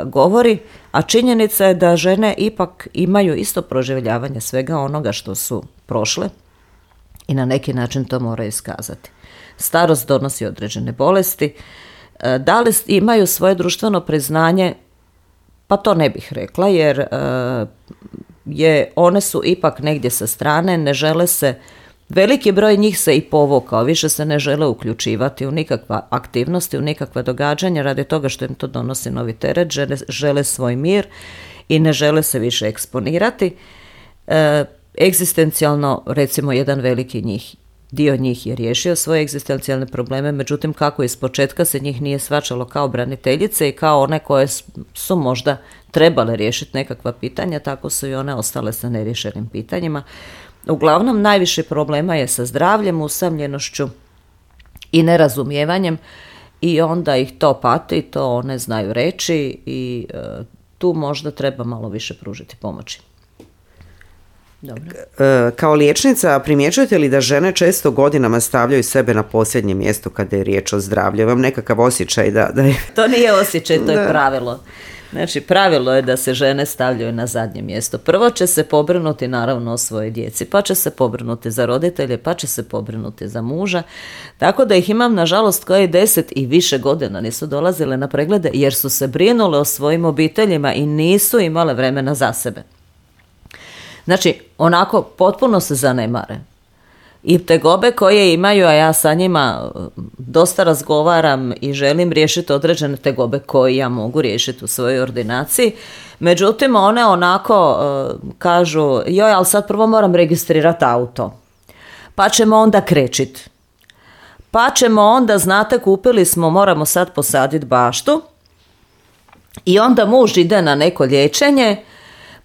govori, a činjenica je da žene ipak imaju isto proživljavanje svega onoga što su prošle i na neki način to moraju iskazati. Starost donosi određene bolesti. Da li imaju svoje društveno priznanje? Pa to ne bih rekla, jer one su ipak negdje sa strane, ne žele se, veliki broj njih se i povukao, više se ne žele uključivati u nikakva aktivnosti, u nikakva događanja, radi toga što im to donosi novi teret, žele svoj mir i ne žele se više eksponirati. Egzistencijalno, recimo, jedan veliki dio njih je riješio svoje egzistencijalne probleme, međutim kako iz početka se njih nije shvaćalo kao braniteljice i kao one koje su možda trebale riješiti nekakva pitanja, tako su i one ostale sa neriješenim pitanjima. Uglavnom, najviše problema je sa zdravljem, usamljenošću i nerazumijevanjem i onda ih to pati, to one znaju reći i tu možda treba malo više pružiti pomoći. Dobro. Kao liječnica, primjećujete li da žene često godinama stavljaju sebe na posljednje mjesto kada je riječ o zdravlju? Vam nekakav osjećaj da je... To nije osjećaj, to je pravilo. Znači, pravilo je da se žene stavljaju na zadnje mjesto. Prvo će se pobrinuti naravno o svojoj djeci, pa će se pobrinuti za roditelje, pa će se pobrinuti za muža. Tako da ih imam, nažalost, koje 10 i više godina nisu dolazile na preglede jer su se brinule o svojim obiteljima i nisu imale vremena za sebe. Znači, onako potpuno se zanemare. I tegobe koje imaju, a ja sa njima dosta razgovaram i želim riješiti određene tegobe koje ja mogu riješiti u svojoj ordinaciji. Međutim, one onako kažu, joj, ali sad prvo moram registrirati auto. Pa ćemo onda krečiti. Pa ćemo onda, znate, kupili smo, moramo sad posaditi baštu. I onda muž ide na neko liječenje.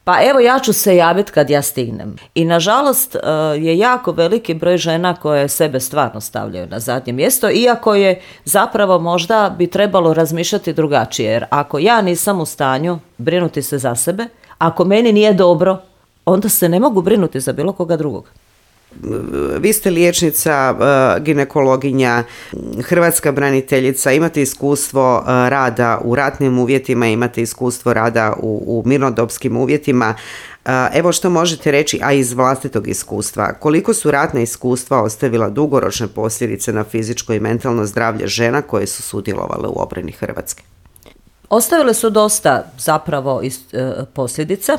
Pa evo, ja ću se javiti kad ja stignem. I nažalost je jako veliki broj žena koje sebe stvarno stavljaju na zadnje mjesto, iako je zapravo možda bi trebalo razmišljati drugačije. Jer ako ja nisam u stanju brinuti se za sebe, ako meni nije dobro, onda se ne mogu brinuti za bilo koga drugog. Vi ste liječnica, ginekologinja, hrvatska braniteljica, imate iskustvo rada u ratnim uvjetima, imate iskustvo rada u mirnodopskim uvjetima. Evo što možete reći, a iz vlastitog iskustva, koliko su ratna iskustva ostavila dugoročne posljedice na fizičko i mentalno zdravlje žena koje su sudjelovale u obrani Hrvatske? Ostavile su dosta zapravo posljedica.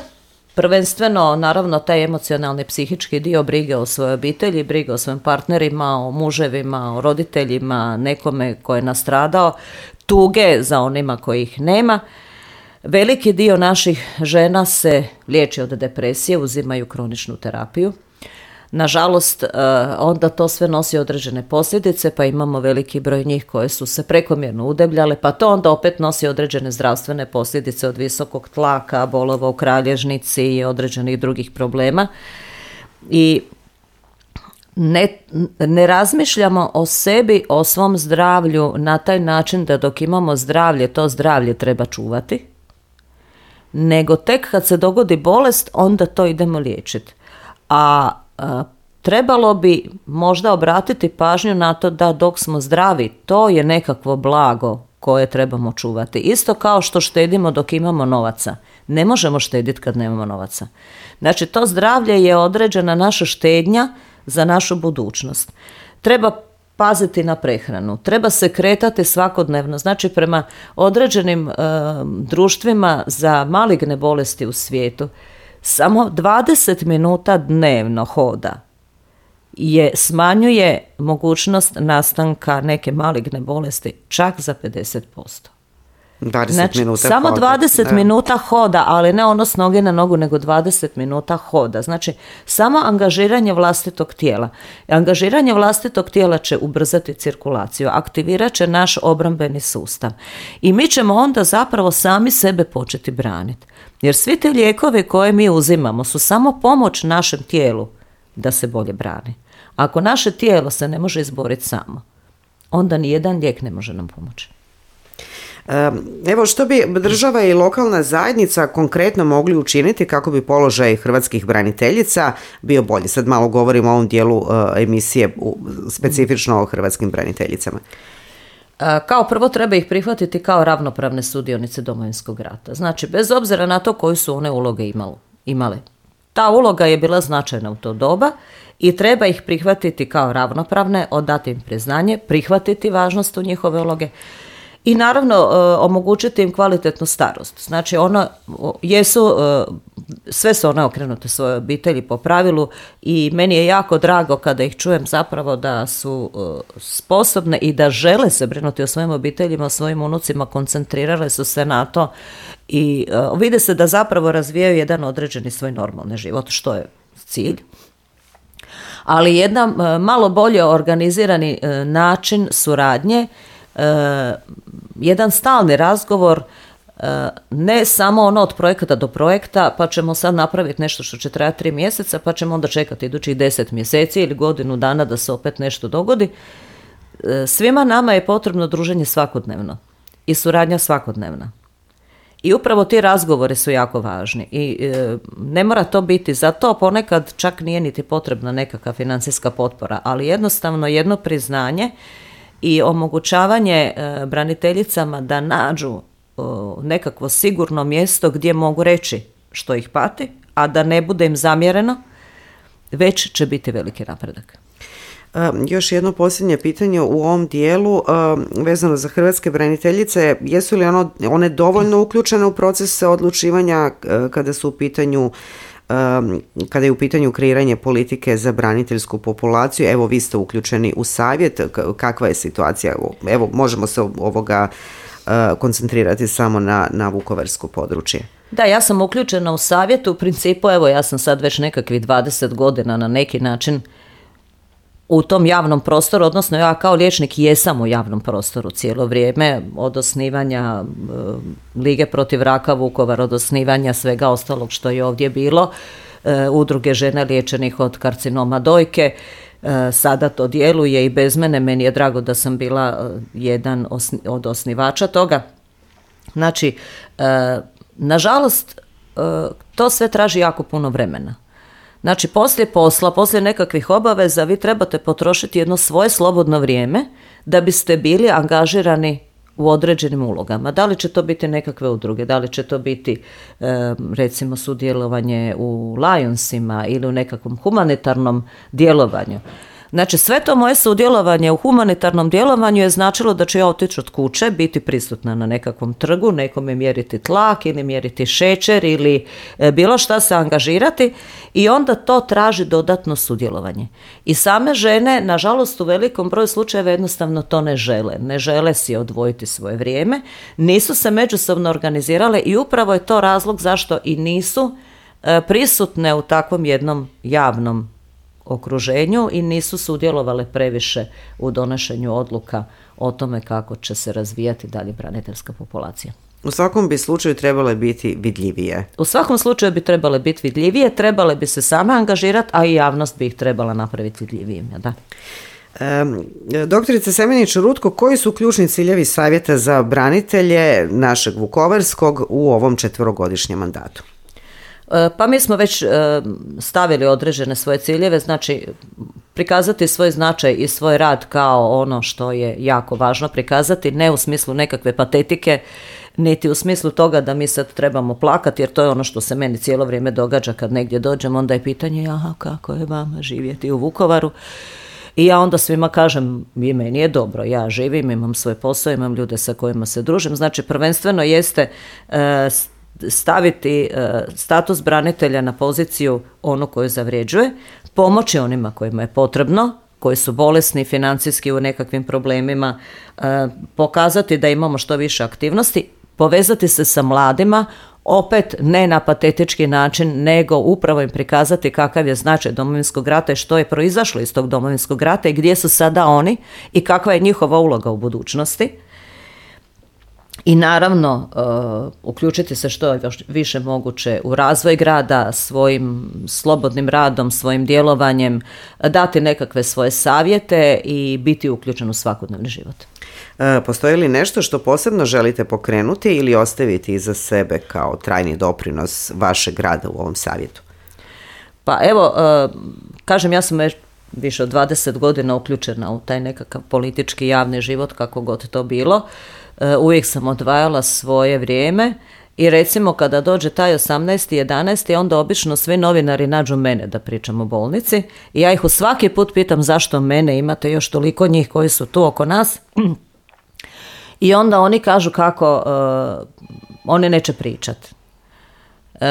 Prvenstveno, naravno, taj emocionalni psihički dio brige o svojoj obitelji, brige o svojim partnerima, o muževima, o roditeljima, nekome ko je nastradao, tuge za onima kojih nema. Veliki dio naših žena se liječi od depresije, uzimaju kroničnu terapiju. Nažalost, onda to sve nosi određene posljedice, pa imamo veliki broj njih koje su se prekomjerno udebljale, pa to onda opet nosi određene zdravstvene posljedice od visokog tlaka, bolova u kralježnici i određenih drugih problema. I ne razmišljamo o sebi, o svom zdravlju na taj način da dok imamo zdravlje, to zdravlje treba čuvati, nego tek kad se dogodi bolest, onda to idemo liječiti. A trebalo bi možda obratiti pažnju na to da dok smo zdravi, to je nekakvo blago koje trebamo čuvati. Isto kao što štedimo dok imamo novaca. Ne možemo štediti kad nemamo novaca. Znači, to zdravlje je određena naša štednja za našu budućnost. Treba paziti na prehranu, treba se kretati svakodnevno. Znači, prema određenim društvima za maligne bolesti u svijetu, samo 20 minuta dnevno hoda smanjuje mogućnost nastanka neke maligne bolesti čak za 50%. 20 znači, minuta samo hoda. 20 minuta hoda, ali ne ono s noge na nogu, nego 20 minuta hoda. Znači, samo angažiranje vlastitog tijela. Angažiranje vlastitog tijela će ubrzati cirkulaciju, aktivirat će naš obrambeni sustav. I mi ćemo onda zapravo sami sebe početi braniti. Jer svi te lijekovi koje mi uzimamo su samo pomoć našem tijelu da se bolje brani. Ako naše tijelo se ne može izboriti samo, onda nijedan lijek ne može nam pomoći. Evo, što bi država i lokalna zajednica konkretno mogli učiniti kako bi položaj hrvatskih braniteljica bio bolji? Sad malo govorimo o ovom dijelu emisije specifično o hrvatskim braniteljicama. Kao prvo treba ih prihvatiti kao ravnopravne sudionice Domovinskog rata. Znači, bez obzira na to koju su one uloge imale. Ta uloga je bila značajna u to doba i treba ih prihvatiti kao ravnopravne, odati im priznanje, prihvatiti važnost u njihove uloge i naravno omogućiti im kvalitetnu starost. Znači, sve su one okrenute svojoj obitelji po pravilu i meni je jako drago kada ih čujem zapravo da su sposobne i da žele se brinuti o svojim obiteljima, o svojim unucima, koncentrirale su se na to i vide se da zapravo razvijaju jedan određeni svoj normalni život, što je cilj. Ali jedan malo bolje organizirani način suradnje, jedan stalni razgovor, ne samo ono od projekta do projekta, pa ćemo sad napraviti nešto što će trajati 3 mjeseca, pa ćemo onda čekati idućih 10 mjeseci ili godinu dana da se opet nešto dogodi. Svima nama je potrebno druženje svakodnevno i suradnja svakodnevna. I upravo ti razgovori su jako važni i ne mora to biti, za to ponekad čak nije niti potrebna nekakva financijska potpora, ali jednostavno jedno priznanje i omogućavanje braniteljicama da nađu nekakvo sigurno mjesto gdje mogu reći što ih pati, a da ne bude im zamjereno, već će biti veliki napredak. Još jedno posljednje pitanje u ovom dijelu vezano za hrvatske braniteljice. Jesu li one dovoljno uključene u procese odlučivanja kada je u pitanju kreiranje politike za braniteljsku populaciju? Evo, vi ste uključeni u savjet. Kakva je situacija? Evo, možemo se koncentrirati samo na vukovarsko područje. Da, ja sam uključena u savjet. U principu, evo, ja sam sad već nekakvih 20 godina na neki način u tom javnom prostoru, odnosno ja kao liječnik jesam u javnom prostoru cijelo vrijeme, od osnivanja Lige protiv raka Vukovar, od osnivanja svega ostalog što je ovdje bilo, udruge žena liječenih od karcinoma dojke, sada to djeluje i bez mene, meni je drago da sam bila jedan od osnivača toga. Znači, nažalost, to sve traži jako puno vremena. Znači, poslije posla, poslije nekakvih obaveza, vi trebate potrošiti jedno svoje slobodno vrijeme da biste bili angažirani u određenim ulogama. Da li će to biti nekakve udruge, da li će to biti recimo sudjelovanje u Lionsima ili u nekakvom humanitarnom djelovanju. Znači, sve to moje sudjelovanje u humanitarnom djelovanju je značilo da ću ja otići od kuće, biti prisutna na nekakvom trgu, nekome mjeriti tlak ili mjeriti šećer ili bilo šta se angažirati, i onda to traži dodatno sudjelovanje. I same žene, nažalost, u velikom broju slučajeva jednostavno to ne žele. Ne žele si odvojiti svoje vrijeme, nisu se međusobno organizirale i upravo je to razlog zašto i nisu prisutne u takvom jednom javnom okruženju i nisu sudjelovale previše u donošenju odluka o tome kako će se razvijati dalje braniteljska populacija. U svakom bi slučaju trebale biti vidljivije. U svakom slučaju bi trebale biti vidljivije, trebale bi se same angažirati, a i javnost bi ih trebala napraviti vidljivijim. Da. Doktorice Semenić-Rutko, koji su ključni ciljevi savjeta za branitelje našeg vukovarskog u ovom 4-godišnjem mandatu? Pa mi smo već stavili određene svoje ciljeve, znači prikazati svoj značaj i svoj rad kao ono što je jako važno prikazati, ne u smislu nekakve patetike, niti u smislu toga da mi sad trebamo plakati, jer to je ono što se meni cijelo vrijeme događa kad negdje dođem, onda je pitanje, aha, kako je vama živjeti u Vukovaru? I ja onda svima kažem, i meni je dobro, ja živim, imam svoj posao, imam ljude sa kojima se družim, znači prvenstveno jeste staviti status branitelja na poziciju onu koju zavređuje, pomoći onima kojima je potrebno, koji su bolesni, financijski u nekakvim problemima, pokazati da imamo što više aktivnosti, povezati se sa mladima, opet ne na patetički način, nego upravo im prikazati kakav je značaj Domovinskog rata i što je proizašlo iz tog Domovinskog rata i gdje su sada oni i kakva je njihova uloga u budućnosti. I naravno uključiti se što je više moguće u razvoj grada, svojim slobodnim radom, svojim djelovanjem, dati nekakve svoje savjete i biti uključen u svakodnevni život. Postoji li nešto što posebno želite pokrenuti ili ostaviti iza sebe kao trajni doprinos vašeg rada u ovom savjetu? Pa evo, kažem, ja sam više od 20 godina uključena u taj nekakav politički javni život, kako god to bilo. Uvijek sam odvajala svoje vrijeme i recimo kada dođe taj 18. 11. onda obično svi novinari nađu mene da pričam o bolnici i ja ih u svaki put pitam zašto mene, imate još toliko njih koji su tu oko nas, i onda oni kažu kako oni neće pričati.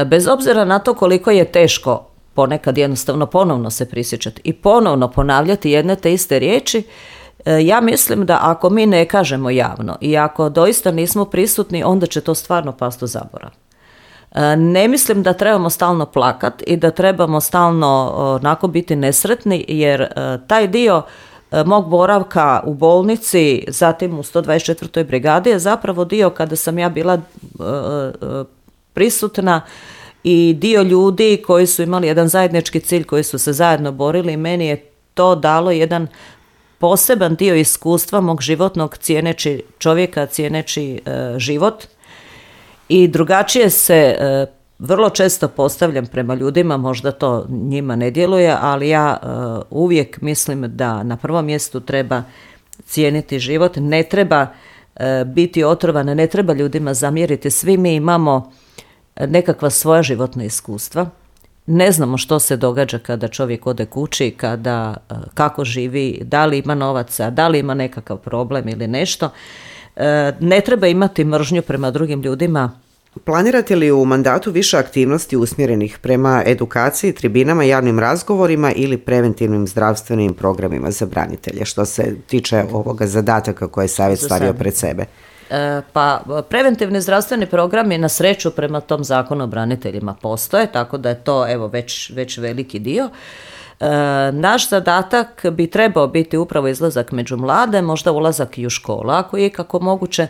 Bez obzira na to koliko je teško ponekad jednostavno ponovno se prisjećati i ponovno ponavljati jedne te iste riječi, ja mislim da ako mi ne kažemo javno i ako doista nismo prisutni, onda će to stvarno pasti u zaborav. Ne mislim da trebamo stalno plakati i da trebamo stalno onako biti nesretni, jer taj dio mog boravka u bolnici, zatim u 124. brigadi je zapravo dio kada sam ja bila prisutna i dio ljudi koji su imali jedan zajednički cilj, koji su se zajedno borili, i meni je to dalo jedan poseban dio iskustva mog životnog, cijeneći čovjeka, cijeneći život, i drugačije se vrlo često postavljam prema ljudima, možda to njima ne djeluje, ali ja uvijek mislim da na prvom mjestu treba cijeniti život, ne treba biti otrovane, ne treba ljudima zamjeriti, svi mi imamo nekakva svoja životna iskustva. Ne znamo što se događa kada čovjek ode kući, kako živi, da li ima novaca, da li ima nekakav problem ili nešto. Ne treba imati mržnju prema drugim ljudima. Planirate li u mandatu više aktivnosti usmjerenih prema edukaciji, tribinama, javnim razgovorima ili preventivnim zdravstvenim programima za branitelje, što se tiče ovoga zadataka koje je Savjet stavio pred sebe? Pa preventivni zdravstveni programi na sreću prema tom zakonu o braniteljima postoje, tako da je to već veliki dio. Naš zadatak bi trebao biti upravo izlazak među mlade, možda ulazak i u školu, ako je kako moguće,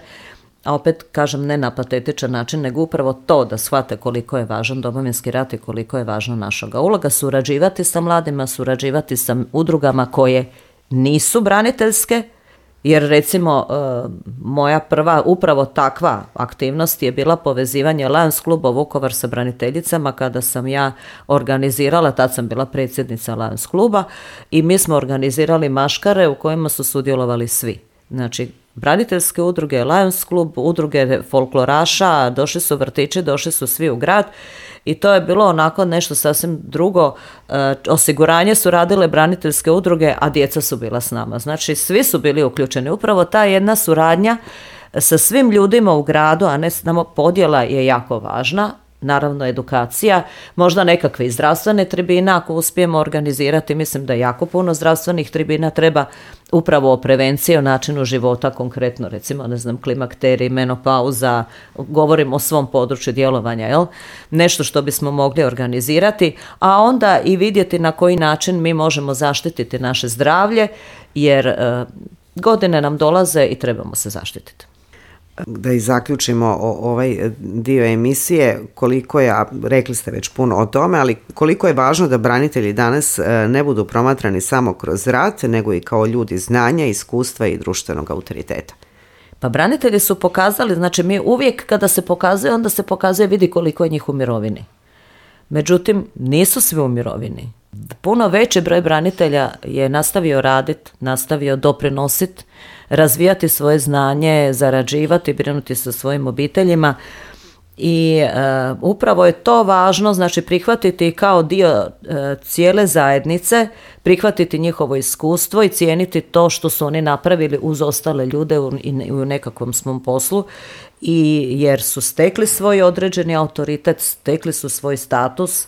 a opet kažem ne na patetičan način, nego upravo to da shvate koliko je važan Domovinski rat i koliko je važna naša uloga, surađivati sa mladima, surađivati sa udrugama koje nisu braniteljske, jer recimo moja prva upravo takva aktivnost je bila povezivanje Lions kluba Vukovar sa braniteljicama kada sam ja organizirala, tad sam bila predsjednica Lions kluba i mi smo organizirali maškare u kojima su sudjelovali svi. Znači, braniteljske udruge, Lions klub, udruge folkloraša, došli su vrtići, došli su svi u grad i to je bilo onako nešto sasvim drugo. Osiguranje su radile braniteljske udruge, a djeca su bila s nama. Znači, svi su bili uključeni. Upravo ta jedna suradnja sa svim ljudima u gradu, a ne samo podjela, je jako važna. Naravno, edukacija, možda nekakve i zdravstvene tribine ako uspijemo organizirati. Mislim da jako puno zdravstvenih tribina treba upravo o prevenciji, o načinu života, konkretno recimo, klimakterij, menopauza, govorim o svom području djelovanja, jel? Nešto što bismo mogli organizirati, a onda i vidjeti na koji način mi možemo zaštititi naše zdravlje, jer godine nam dolaze i trebamo se zaštititi. Da i zaključimo ovaj dio emisije, koliko je, a rekli ste već puno o tome, ali koliko je važno da branitelji danas ne budu promatrani samo kroz rat, nego i kao ljudi znanja, iskustva i društvenog autoriteta. Pa branitelji su pokazali, znači mi uvijek kada se pokazuje, onda se pokazuje, vidi koliko je njih u mirovini. Međutim, nisu svi u mirovini. Puno veći broj branitelja je nastavio raditi, nastavio doprinositi, razvijati svoje znanje, zarađivati, brinuti sa svojim obiteljima i upravo je to važno, znači prihvatiti kao dio cijele zajednice, prihvatiti njihovo iskustvo i cijeniti to što su oni napravili uz ostale ljude u nekakvom svom poslu, i jer su stekli svoj određeni autoritet, stekli su svoj status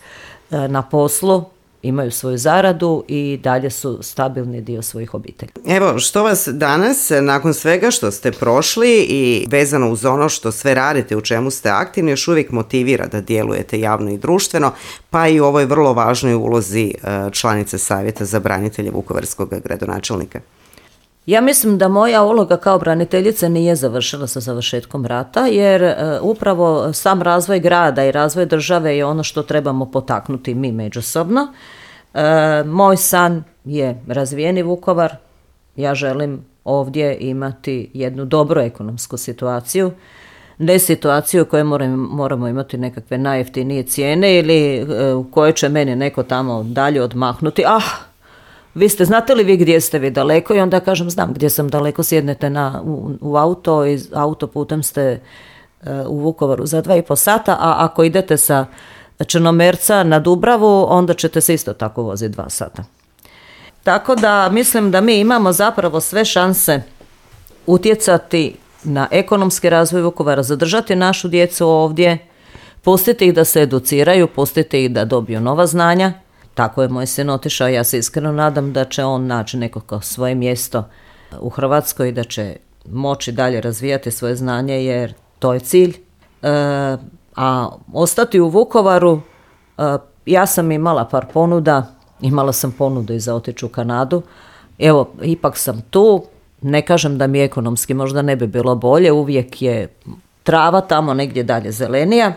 na poslu, imaju svoju zaradu i dalje su stabilni dio svojih obitelji. Evo, što vas danas, nakon svega što ste prošli i vezano uz ono što sve radite, u čemu ste aktivni, još uvijek motivira da djelujete javno i društveno, pa i u ovoj vrlo važnoj ulozi članice Savjeta za branitelje vukovarskog gradonačelnika? Ja mislim da moja uloga kao braniteljice nije završila sa završetkom rata, jer upravo sam razvoj grada i razvoj države je ono što trebamo potaknuti mi međusobno. Moj san je razvijeni Vukovar. Ja želim ovdje imati jednu dobru ekonomsku situaciju, ne situaciju u kojoj moramo imati nekakve najjeftinije cijene ili u kojoj će meni neko tamo dalje odmahnuti. Vi znate li vi gdje ste vi daleko? I onda kažem, znam gdje sam daleko, sjednete u auto i autoputem ste u Vukovaru za 2,5 sata, a ako idete sa Črnomerca na Dubravu, onda ćete se isto tako voziti 2 sata. Tako da mislim da mi imamo zapravo sve šanse utjecati na ekonomski razvoj Vukovara, zadržati našu djecu ovdje, pustiti ih da se educiraju, pustiti ih da dobiju nova znanja. Tako je moj sin otišao, ja se iskreno nadam da će on naći nekako svoje mjesto u Hrvatskoj i da će moći dalje razvijati svoje znanje, jer to je cilj. A ostati u Vukovaru, ja sam imala par ponuda, imala sam ponudu i za otići u Kanadu. Evo, ipak sam tu, ne kažem da mi ekonomski možda ne bi bilo bolje, uvijek je trava tamo negdje dalje zelenija.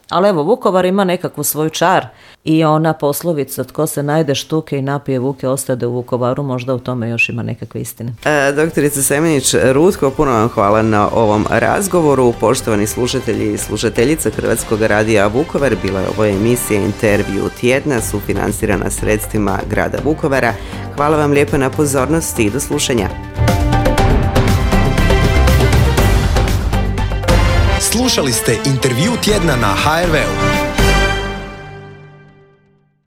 Ali evo, Vukovar ima nekakvu svoju čar i ona poslovica tko se najde štuke i napije vuke ostade u Vukovaru, možda u tome još ima nekakve istine. Doktorica Semenić-Rutko, puno vam hvala na ovom razgovoru. Poštovani slušatelji i slušateljice Hrvatskog radija Vukovar, bila je ovo emisija Intervju tjedna, sufinancirana sredstvima grada Vukovara. Hvala vam lijepo na pozornosti i do slušanja. Slušali ste intervju tjedna na HRV-u.